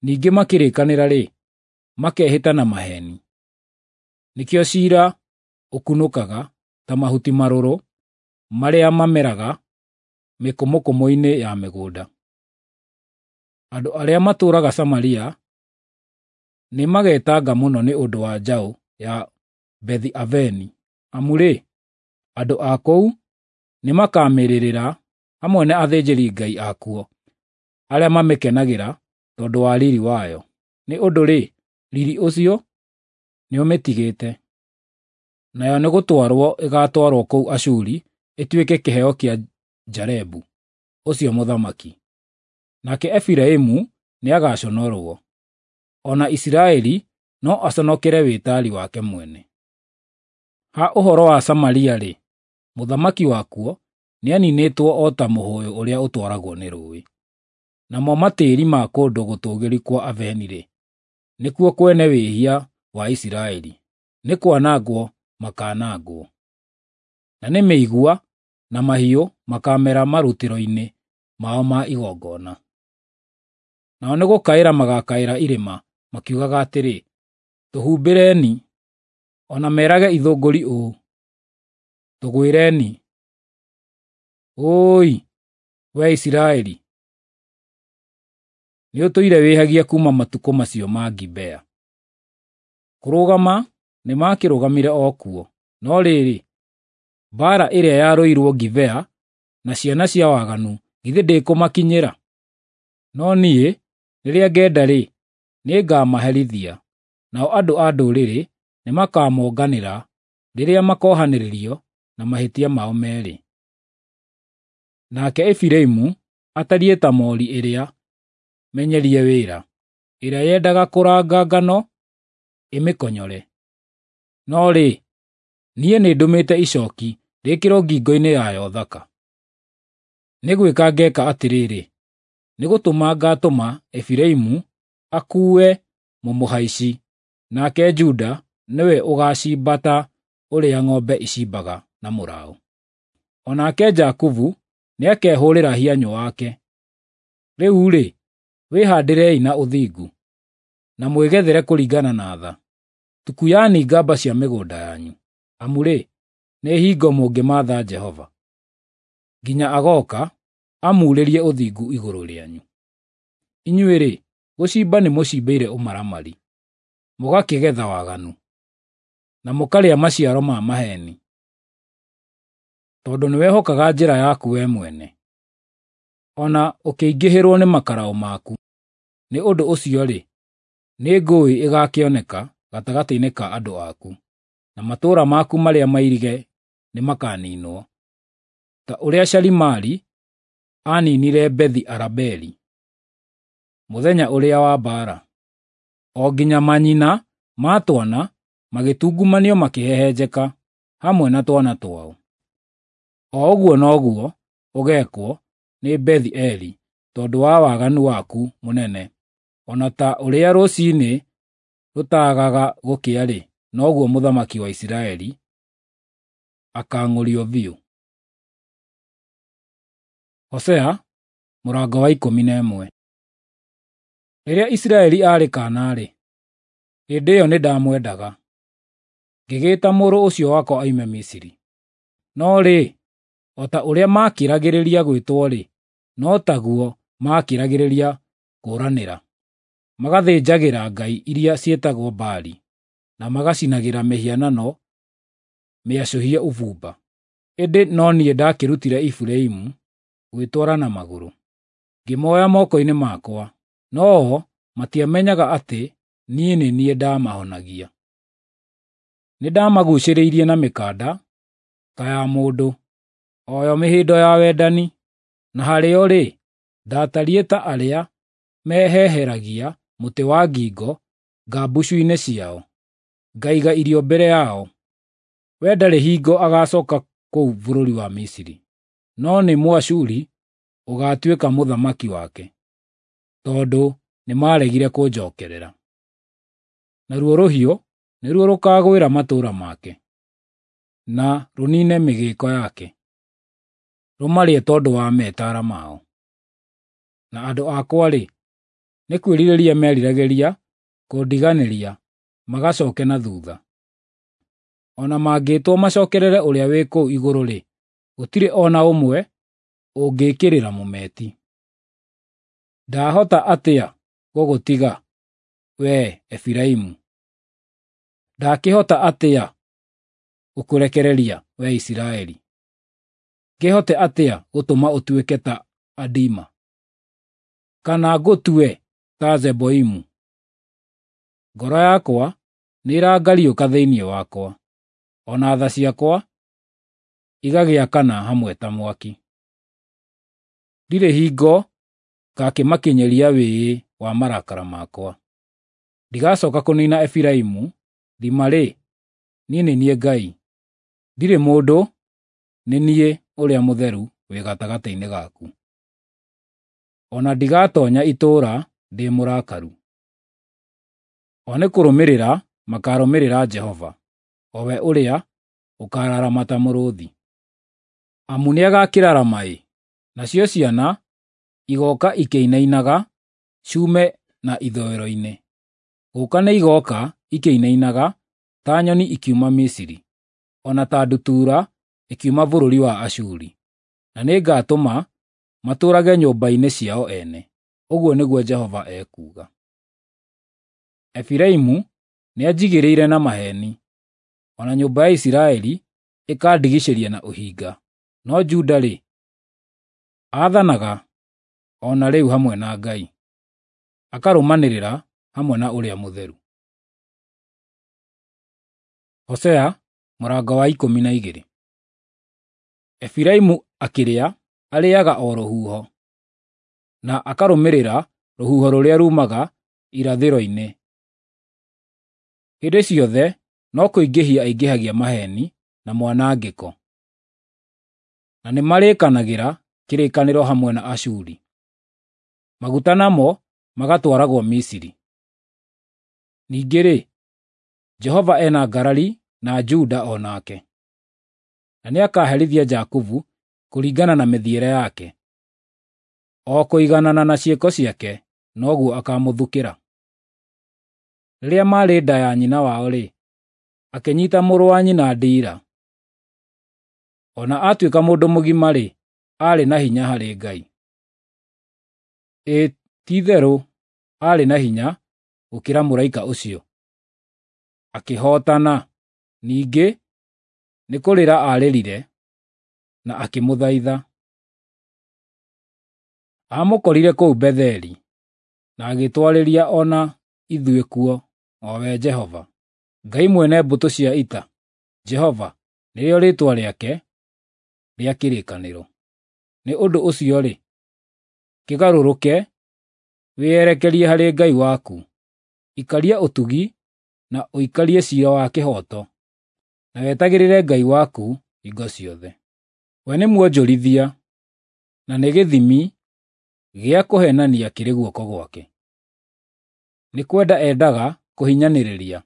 Ningĩ makĩrĩkanĩra-rĩ, makehĩta na maheeni. Nĩkĩo ciira ũkunũkaga ta mahuti marũrũ marĩa mameraga mĩkũmũkũmũ-inĩ ya mĩgũnda. Andũ arĩa matũũraga Samaria Nĩmagetanga mũno nĩ ũndũ wa njaũ ya Bethi-Aveni, amu-rĩ, andũ a kũu nĩmakamĩrĩrĩra hamwe na athĩnjĩri-ngai akuo arĩa mamĩkenagĩra tondũ wa riri wayo. Nĩ ũndũ-rĩ, riri ũcio nĩũmĩtigĩte. Nayo nĩ gũtwarũo ĩgatwarũo kũu Ashuri ĩtuĩke kĩheo kĩa Jarebu ũcio mũthamaki. Nake Efiraimu nĩagaconorũo, o na Isiraeli no aconokere wĩtari wake mwene. Ha ũhoro wa Samaria-rĩ, mũthamaki wakuo nĩaninĩtwo o ta mũhũyũ ũrĩa ũtwaragwo nĩ rũũĩ. Namo matĩĩri ma kũndũ gũtũũgĩru kwa Aveni-rĩ, nĩkuo kwene wĩhia wa Isiraeli, nĩ kwanangwo makaanangwo. Na nĩ mĩigua na mahiũ makaamera marutĩro-inĩ mao ma igongona. Nao nĩ gũkaĩra magakaĩra irĩma makiugaga atĩrĩ, “Tũhumbĩreni!” O na merage ithũngũri ũũ, “Tũgwĩreni!” Ũũi, wee Isiraeli, nĩũtũire wĩhagia kuuma matukũ macio ma Gibea. Kũrũgama nĩmakĩrũgamire o kuo, no rĩrĩ, mbaara ĩrĩa yarũirwo Gibea na ciana cia waganu githĩ ndĩkũmakinyĩra? No niĩ, rĩrĩa ngenda-rĩ, nĩngamaherithia, nao andũ a ndũrĩrĩ nĩmakamonganĩra rĩrĩa makohanĩrĩrio na mahĩtia mao meerĩ. Nake Efiraimu atariĩ ta moori ĩrĩa menyerie wĩra, ĩrĩa yendaga kũranga ngano ĩmĩkonyore. No rĩ, niĩ nĩndũmĩte icooki rĩĩkĩrwo ngingo-inĩ yayo thaka. Nĩ gwĩka ngeeka atĩrĩrĩ, nĩ gũtũma ngaatũma Efiraimu akuue mũmũhaici, nake Juda nĩwe ũgaacimba ta ũrĩa ng'ombe icimbaga na mũraũ. O nake Jakubu nĩakehũũrĩra hianyũ wake. Rĩu-rĩ, wĩhaandĩrei na ũthingu, na mwĩgethere kũringana na tha. Tukuyani ngamba cia mĩgũnda yanyu, amu-rĩ, nĩ hingo mũngĩmaatha Jehova, nginya agooka amuurĩrie ũthingu igũrũ rĩanyu. Inyuĩ-rĩ, gũcimba nĩmũcimbĩire ũmaramari, mũgakĩgetha waganu, na mũkarĩa maciaro ma maheeni. Tondũ nĩwehokaga njĩra yaku wee mwene, o na ũkĩingĩhĩrwo nĩ makaraũ maku, nĩ ũndũ ũcio-rĩ, nĩ ngũĩ ĩgakĩoneka gatagatĩ-inĩ ka andũ aku, na matũũra maku marĩa mairige nĩmakaniinwo, ta ũrĩa Shalimari aaninire Bethi-Arabeli mũthenya ũrĩa wa mbaara, o nginya manyina ma twana magĩtungumanio makĩhehenjeka hamwe na twana twao. O ũguo noguo ũgeekwo nĩ Bethi-Eli tondũ wa waganu waku mũnene, o na ta ũrĩa rũciinĩ rũtaagaga gũkĩa-rĩ, noguo mũthamaki wa Isiraeli akaang'ũrio biũ. Hosea mũrango wa 11. Rĩrĩa Isiraeli aarĩ kaana-rĩ, hĩndĩ ĩyo nĩndamwendaga, ngĩgĩĩta mũrũ ũcio wakwa oime Misiri. No rĩ, o ta ũrĩa maakĩragĩrĩria gwĩtwo-rĩ, no taguo maakĩragĩrĩria kũũranĩra, magathĩnjagĩra ngai iria ciĩtagwo Baali, na magacinagĩra mĩhianano mĩacũhie ũbumba. Ĩndĩ no niĩ ndakĩrutire Efiraimu gwĩtwara na magũrũ, ngĩmoya moko-inĩ makwa, no-o matiamenyaga atĩ niĩ nĩ niĩ ndaamahonagia. Nĩndamaguucĩrĩirie na mĩkanda ta ya mũndũ, o yo mĩhĩndo ya wendani, na harĩo-rĩ, ndaatariĩ ta arĩa meheheragia mũtĩ wa ngingo ngambucu-inĩ ciao, ngaiga irio mbere yao. We ndarĩ hingo agacooka kũu bũrũri wa Misiri, no nĩ Mũashuri ũgaatuĩka mũthamaki wake, tondũ nĩmaregire kũnjookerera. Naruo rũhiũ nĩruo rũkaagwĩra matũũra make, na rũniine mĩgĩĩko yake, rũmarĩe tondũ wa metaara mao. Na andũ akwa-rĩ, nĩ kwĩrirĩria meriragĩria kũndiganĩria magacooke na thuutha. O na mangĩĩtwo macookerere ũrĩa wĩ kũu igũrũ-rĩ, gũtirĩ o na ũmwe ũngĩĩkĩrĩra mũmeti. Ndahota atĩa gũgũtiga, wee Efiraimu? Ndakĩhota atĩa gũkũrekereria, wee Isiraeli? Ngĩhote atĩa gũtũma ũtuĩke ta Adima, kana ngũtue ta Zeboimu? Ngoro yakwa nĩĩrangariũka thĩinĩ wakwa, o na tha ciakwa igagĩakana hamwe ta mwaki. Ndirĩ hingo ngakĩmakinyĩria wĩĩ wa marakara makwa. Ndigacooka kũniina Efiraimu, thima-rĩ, niĩ nĩ niĩ Ngai, ndirĩ mũndũ, nĩ niĩ Ũrĩa Mũtheru wĩ gatagatĩ-inĩ gaku. O na ndigatoonya itũũra ndĩ mũrakaru. O nĩ kũrũmĩrĩra makaarũmĩrĩra Jehova, o we ũrĩa ũkaararama ta mũrũũthi. Amu nĩagakĩrarama-ĩ, nacio ciana igooka ikĩinainaga ciume na ithũĩro-inĩ. Gũũka nĩigooka ikĩinainaga ta nyoni ikiuma Misiri, o na ta ndutura ĩkiuma bũrũri wa Ashuri. Na nĩngatũma matũũrage nyũmba-inĩ ciao ene, ũguo nĩguo Jehova ekuuga. Efiraimu nĩanjigĩrĩire na maheeni, o na nyũmba ya Isiraeli ĩkandigicĩria na ũhinga. No Juda-rĩ, aathanaga o na rĩu hamwe na Ngai, akarũmanĩrĩra hamwe na Ũrĩa Mũtheru. Hosea mũrango wa 12. Efiraimu akĩrĩa arĩĩaga o rũhuho, na akarũmĩrĩra rũhuho rũrĩa ruumaga irathĩro-inĩ. Hĩndĩ ciothe no kũingĩhia aingĩhagia maheeni na mwanangĩko, na nĩmarĩkanagĩra kĩrĩkanĩro hamwe na Ashuri, maguta namo magatwaragwo Misiri. Ningĩ-rĩ, Jehova ena ngarari na Juda o nake, na nĩakaherithia Jakubu kũringana na mĩthiĩre yake, o kũiganana na ciĩko ciake noguo akamũthukĩra. Rĩrĩa maarĩ nda ya nyina wao-rĩ, akĩnyiita mũrũ wa nyina ndiira. O na atuĩka mũndũ mũgima-rĩ, aarĩ na hinya harĩ Ngai. Ĩ ti-itherũ aarĩ na hinya gũkĩra mũraika ũcio. Akĩhootana, ningĩ nĩ kũrĩra aarĩrire na akĩmũthaitha. Aamũkorire kũu Betheli, na agĩtwarĩria o na ithuĩ kuo, o we Jehova, Ngai mwene mbũtũ cia ita. Jehova nĩrĩo rĩĩtwa rĩake rĩa kĩrĩkanĩro. Nĩ ũndũ ũcio-rĩ, kĩgarũrũke wĩyerekerie harĩ Ngai waku. Ikaria ũtugi na ũikarie ciira wa kĩhooto, na wetagĩrĩre Ngai waku hingo ciothe. We nĩ mwonjorithia, na nĩ gĩthimi gĩa kũheenania kĩrĩ guoko gwake. Nĩ kwenda endaga kũhinyanĩrĩria,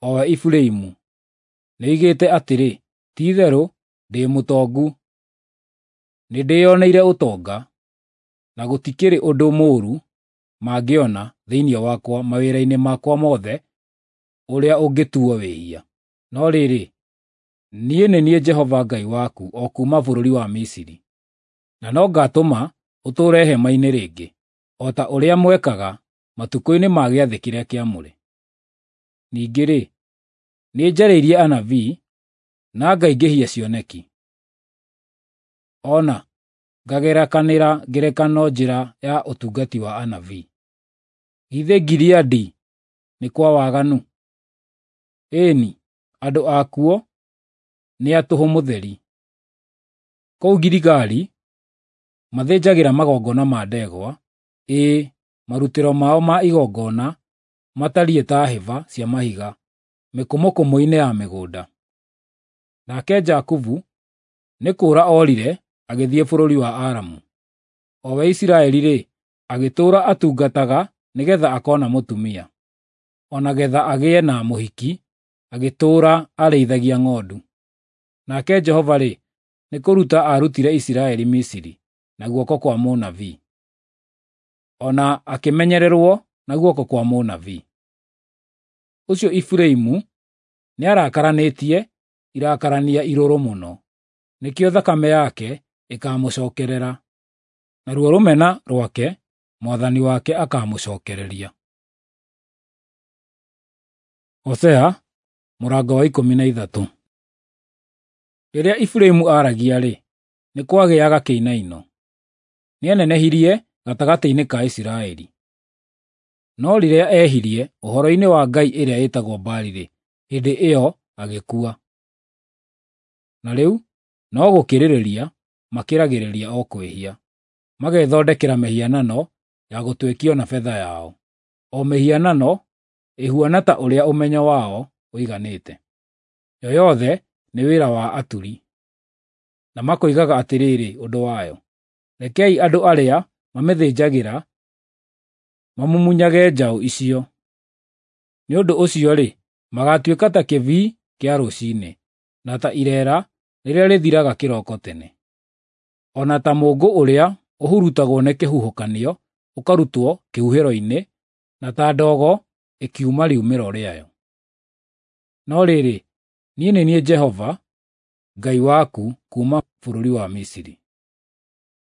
o we Efiraimu. Nĩoigĩte atĩrĩ, “Ti-itherũ ndĩ mũtongu, nĩndĩĩoneire ũtonga, na gũtikĩrĩ ũndũ mũũru mangĩona thĩinĩ wakwa mawĩra-inĩ makwa mothe ũrĩa ũngĩtuuo wĩhia.” No rĩrĩ, niĩ nĩ niĩ Jehova Ngai waku o kuuma bũrũri wa Misiri, na no ngaatũma ũtũũre hema-inĩ rĩngĩ, o ta ũrĩa mwekaga matukũ-inĩ ma gĩathĩ kĩrĩa kĩamũre. Ningĩ-rĩ, nĩnjarĩirie anabii na ngaingĩhia cioneki, o na ngagerekanĩra ngerekano njĩra ya ũtungati wa anabii. Githĩ Gileadi nĩ kwa waganu? Ĩĩ-ni, andũ akuo nĩ a tũhũ mũtheri. Kũu Giligali mathĩnjagĩra magongona ma ndegwa, ĩĩ, marutĩro mao ma igongona matariĩ ta hĩba cia mahiga mĩkũmũkũmũ-inĩ ya mĩgũnda. Nake Jakubu nĩ kũũra oorire agĩthiĩ bũrũri wa Aramu. O we Isiraeli-rĩ, agĩtũũra atungataga nĩgeetha akoona mũtumia, o na geetha agĩe na mũhiki, agĩtũũra arĩithagia ng'ondu. Nake Jehova-rĩ, nĩ kũruta aarutire Isiraeli Misiri na guoko kwa mũnabii, o na akĩmenyererwo na guoko kwa mũnabii. Ũcio Efiraimu nĩarakaranĩtie irakarania irũrũ mũno, nĩkĩo thakame yake ĩkaamũcookerera, naruo rũmena rwake Mwathani wake akaamũcookereria. Hosea mũrango wa 13. Rĩrĩa Efiraimu aaragia-rĩ, nĩ kwagĩaga kĩinaino; nĩenenehirie gatagatĩ-inĩ ka Isiraeli. No rĩrĩa ehirie ũhoro-inĩ wa ngai ĩrĩa ĩtagwo Baali-rĩ, hĩndĩ ĩyo agĩkua. Na rĩu no gũkĩrĩrĩria makĩragĩrĩria o kwĩhia, magethondekera mĩhianano ya gũtwekio na betha yao, o mĩhianano ĩhuana ta ũrĩa ũmenyo wao ũiganĩte. Yo yothe nĩ wĩra wa aturi. Na makoigaga atĩrĩrĩ ũndũ wayo, “Rekei andũ arĩa mamĩthĩnjagĩra mamumunyage njaũ icio.” Nĩ ũndũ ũcio-rĩ, magaatuĩka ta kĩbii kĩa rũciinĩ, na ta ireera rĩrĩa rĩthiraga kĩroko tene, o na ta mũũngũ ũrĩa ũhurutagwo nĩ kĩhuhũkanio ũkarutwo kĩhuhĩro-inĩ, na ta ndogo ĩkiuma riumĩro rĩayo. No rĩrĩ, niĩ nĩ niĩ Jehova Ngai waku kuuma bũrũri wa Misiri.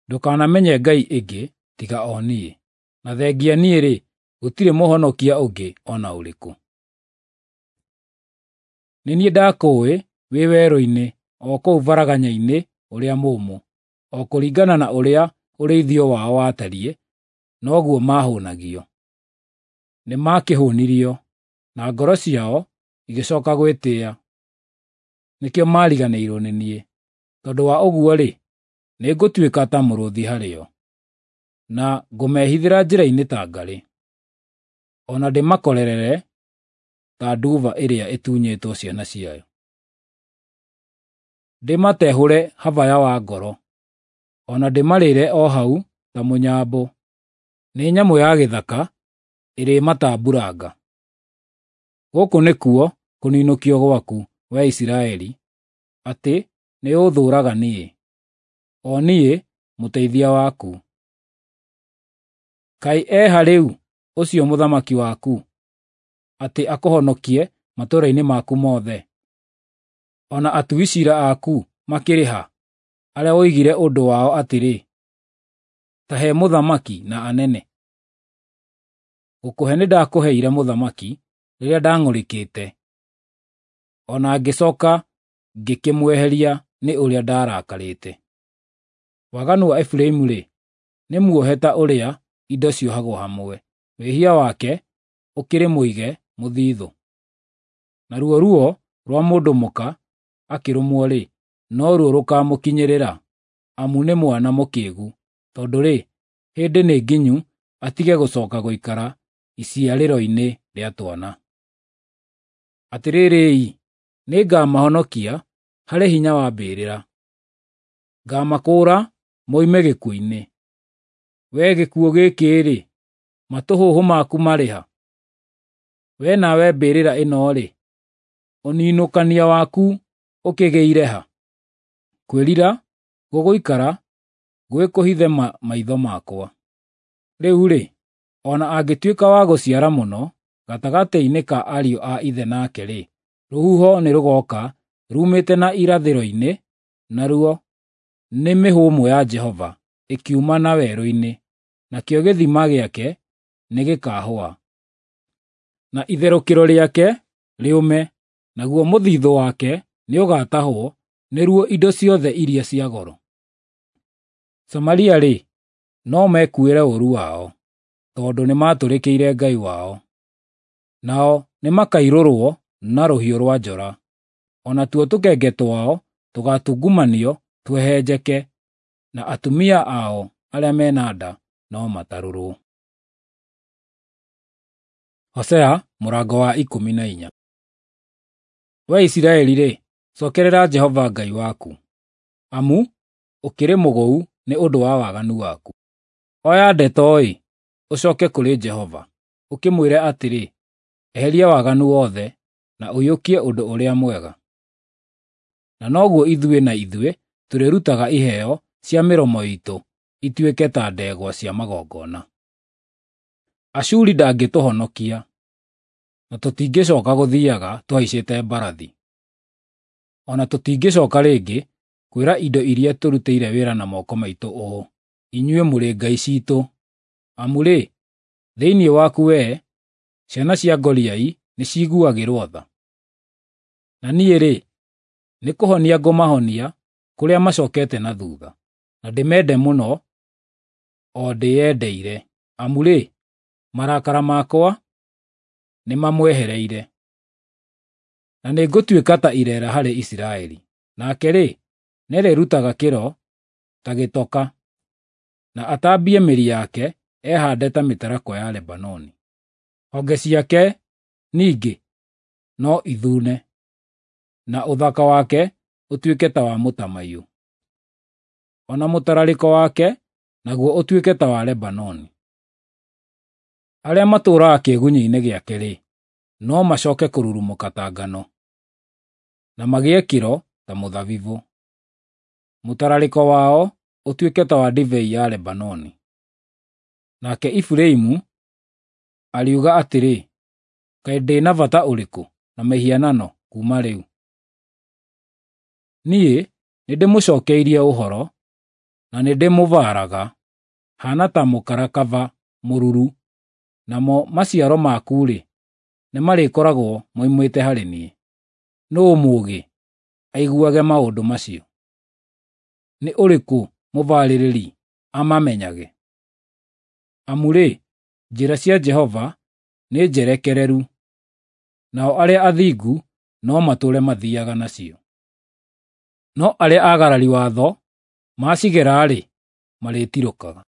Ndũkanamenye ngai ĩngĩ tiga o niĩ, na thengia niĩ-rĩ, gũtirĩ mũhonokia ũngĩ o na ũrĩkũ. Nĩ niĩ ndakũũĩ wĩ werũ-inĩ, o kũu varaganya-inĩ ũrĩa mũũmũ; o kũringana na ũrĩa ũrĩithio wao watariĩ, noguo maahũũnagio. Nĩmakĩhũũnirio, na ngoro ciao igĩcooka gwĩtĩĩa. Nĩkĩo maariganĩirwo nĩ niĩ. Tondũ wa ũguo-rĩ, nĩngũtuĩka ta mũrũũthi harĩo, na ngũmehithĩra njĩra-inĩ ta ngarĩ, o na ndĩmakorerere ta nduba ĩrĩa ĩtunyĩtwo ciana ciayo. Ndĩmatehũre habaya wa ngoro, o na ndĩmarĩre o hau ta mũnyambũ. Nĩ nyamũ ya gĩthaka ĩrĩmatambuuranga. Gũkũ nĩkuo kũninũkio gwaku, wee Isiraeli, atĩ nĩũũthũũraga niĩ, o niĩ mũteithia waku. Kaĩ e ha rĩu ũcio mũthamaki waku, atĩ akũhonokie matũũra-inĩ maku mothe? O na atui ciira aku makĩrĩ ha, arĩa woigire ũndũ wao atĩrĩ, ‘Ta he mũthamaki na anene’? Gũkũhe nĩndakũheire mũthamaki rĩrĩa ndang'ũrĩkĩte, o na ngĩcooka ngĩkĩmweheria nĩ ũrĩa ndarakarĩte. Waganu wa Efiraimu-rĩ, nĩ muohe ta ũrĩa indo ciohagwo hamwe, wĩhia wake ũkĩrĩ mũige mũthithũ. Naruo ruo rwa mũndũ mũka akĩrũmwo-rĩ, noruo rũkaamũkinyĩrĩra, amu nĩ mwana mũkĩĩgu, tondũ-rĩ, hĩndĩ nĩ nginyu atige gũcooka gũikara iciarĩro-inĩ rĩa twana. Atĩrĩrĩ-i, nĩngamahonokia harĩ hinya wa mbĩrĩra; ngaamakũũra moime gĩkuũ-inĩ. Wee gĩkuũ gĩkĩ-rĩ, matũhũhũ maku marĩ ha? Wee nawe mbĩrĩra ĩno-rĩ, ũninũkania waku ũkĩgĩire ha? Kwĩrira gũgũikara gwĩ kũhithe maitho makwa. Rĩu-rĩ, o na angĩtuĩka wa gũciara mũno gatagatĩ-inĩ ka ariũ a ithe nake-rĩ, rũhuho nĩrũgooka ruumĩte na irathĩro-inĩ, naruo nĩ mĩhũmũ ya Jehova ĩkiuma na werũ-inĩ, nakĩo gĩthima gĩake nĩgĩkahũa, na itherũkĩro rĩake rĩũme, naguo mũthithũ wake nĩũgatahwo nĩruo indo ciothe iria cia goro. Samaria-rĩ, no mekuuĩre ũũru wao, tondũ nĩmatũrĩkĩire Ngai wao. Nao nĩmakairũrwo na rũhiũ rwa njora, o natuo tũkenge twao tũgaatungumanio tũhehenjeke, na atumia ao arĩa me na nda no matarũrwo. Hosea mũrango wa 14. Wee Isiraeli-rĩ, cookerera Jehova Ngai waku, amu ũkĩrĩ mũgũu nĩ ũndũ wa waganu waku. Oya ndeto-ĩ, ũcooke kũrĩ Jehova, ũkĩmwĩre atĩrĩ, “Eheria waganu wothe, na ũiyũkie ũndũ ũrĩa mwega.” Na noguo ithuĩ na ithuĩ tũrĩrutaga iheo cia mĩromo iitũ ituĩke ta ndegwa cia magongona. Ashuri ndangĩtũhonokia, na tũtingĩcooka gũthiiaga tũhaicĩte mbarathi. O na tũtingĩcooka rĩngĩ kwĩra indo iria tũrutĩire wĩra na moko maitũ ũũ, “Inyuĩ mũrĩ ngai ciitũ,” amu-rĩ, thĩinĩ waku wee, ciana cia ngoriai nĩciiguagĩrwo tha. Na niĩ-rĩ, nĩ kũhonia ngũmahonia kũrĩa macokete na thutha, na ndĩmende mũno o ndĩyendeire, amu-rĩ, marakara makwa nĩmamwehereire. Na nĩngũtuĩka ta ireera harĩ Isiraeli, nake-rĩ, nĩarĩrutaga kĩro ta gĩtoka, na atambie mĩri yake ehaande ta mĩtarakwa ya Lebanoni. Honge ciake ningĩ no ithune, na ũthaka wake ũtuĩke ta wa mũtamaiyũ, o na mũtararĩko wake naguo ũtuĩke ta wa Lebanoni. Arĩa matũũraga kĩĩgunyĩ-inĩ gĩake-rĩ, no macooke kũrurumũka ta ngano, na magĩe kĩro ta mũthabibũ. Mũtararĩko wao ũtuĩke ta wa ndibei ya Lebanoni. Nake Efiraimu ariuga atĩrĩ, “Kaĩ ndĩ na bata ũrĩkũ na mĩhianano kuuma rĩu? Niĩ nĩndĩmũcookeirie ũhoro, na nĩndĩmũbaaraga, haana ta mũkarakaba mũruru, namo maciaro maku-rĩ, nĩmarĩkoragwo moimĩte harĩ niĩ.” Nũũ mũũgĩ aiguage maũndũ macio? Nĩ ũrĩkũ mũbarĩrĩri amamenyage? Amu-rĩ, njĩra cia Jehova nĩ njerekereru, nao arĩa athingu no matũũre mathiiaga nacio. No arĩa aagarari watho macigera-rĩ, marĩtirũkaga.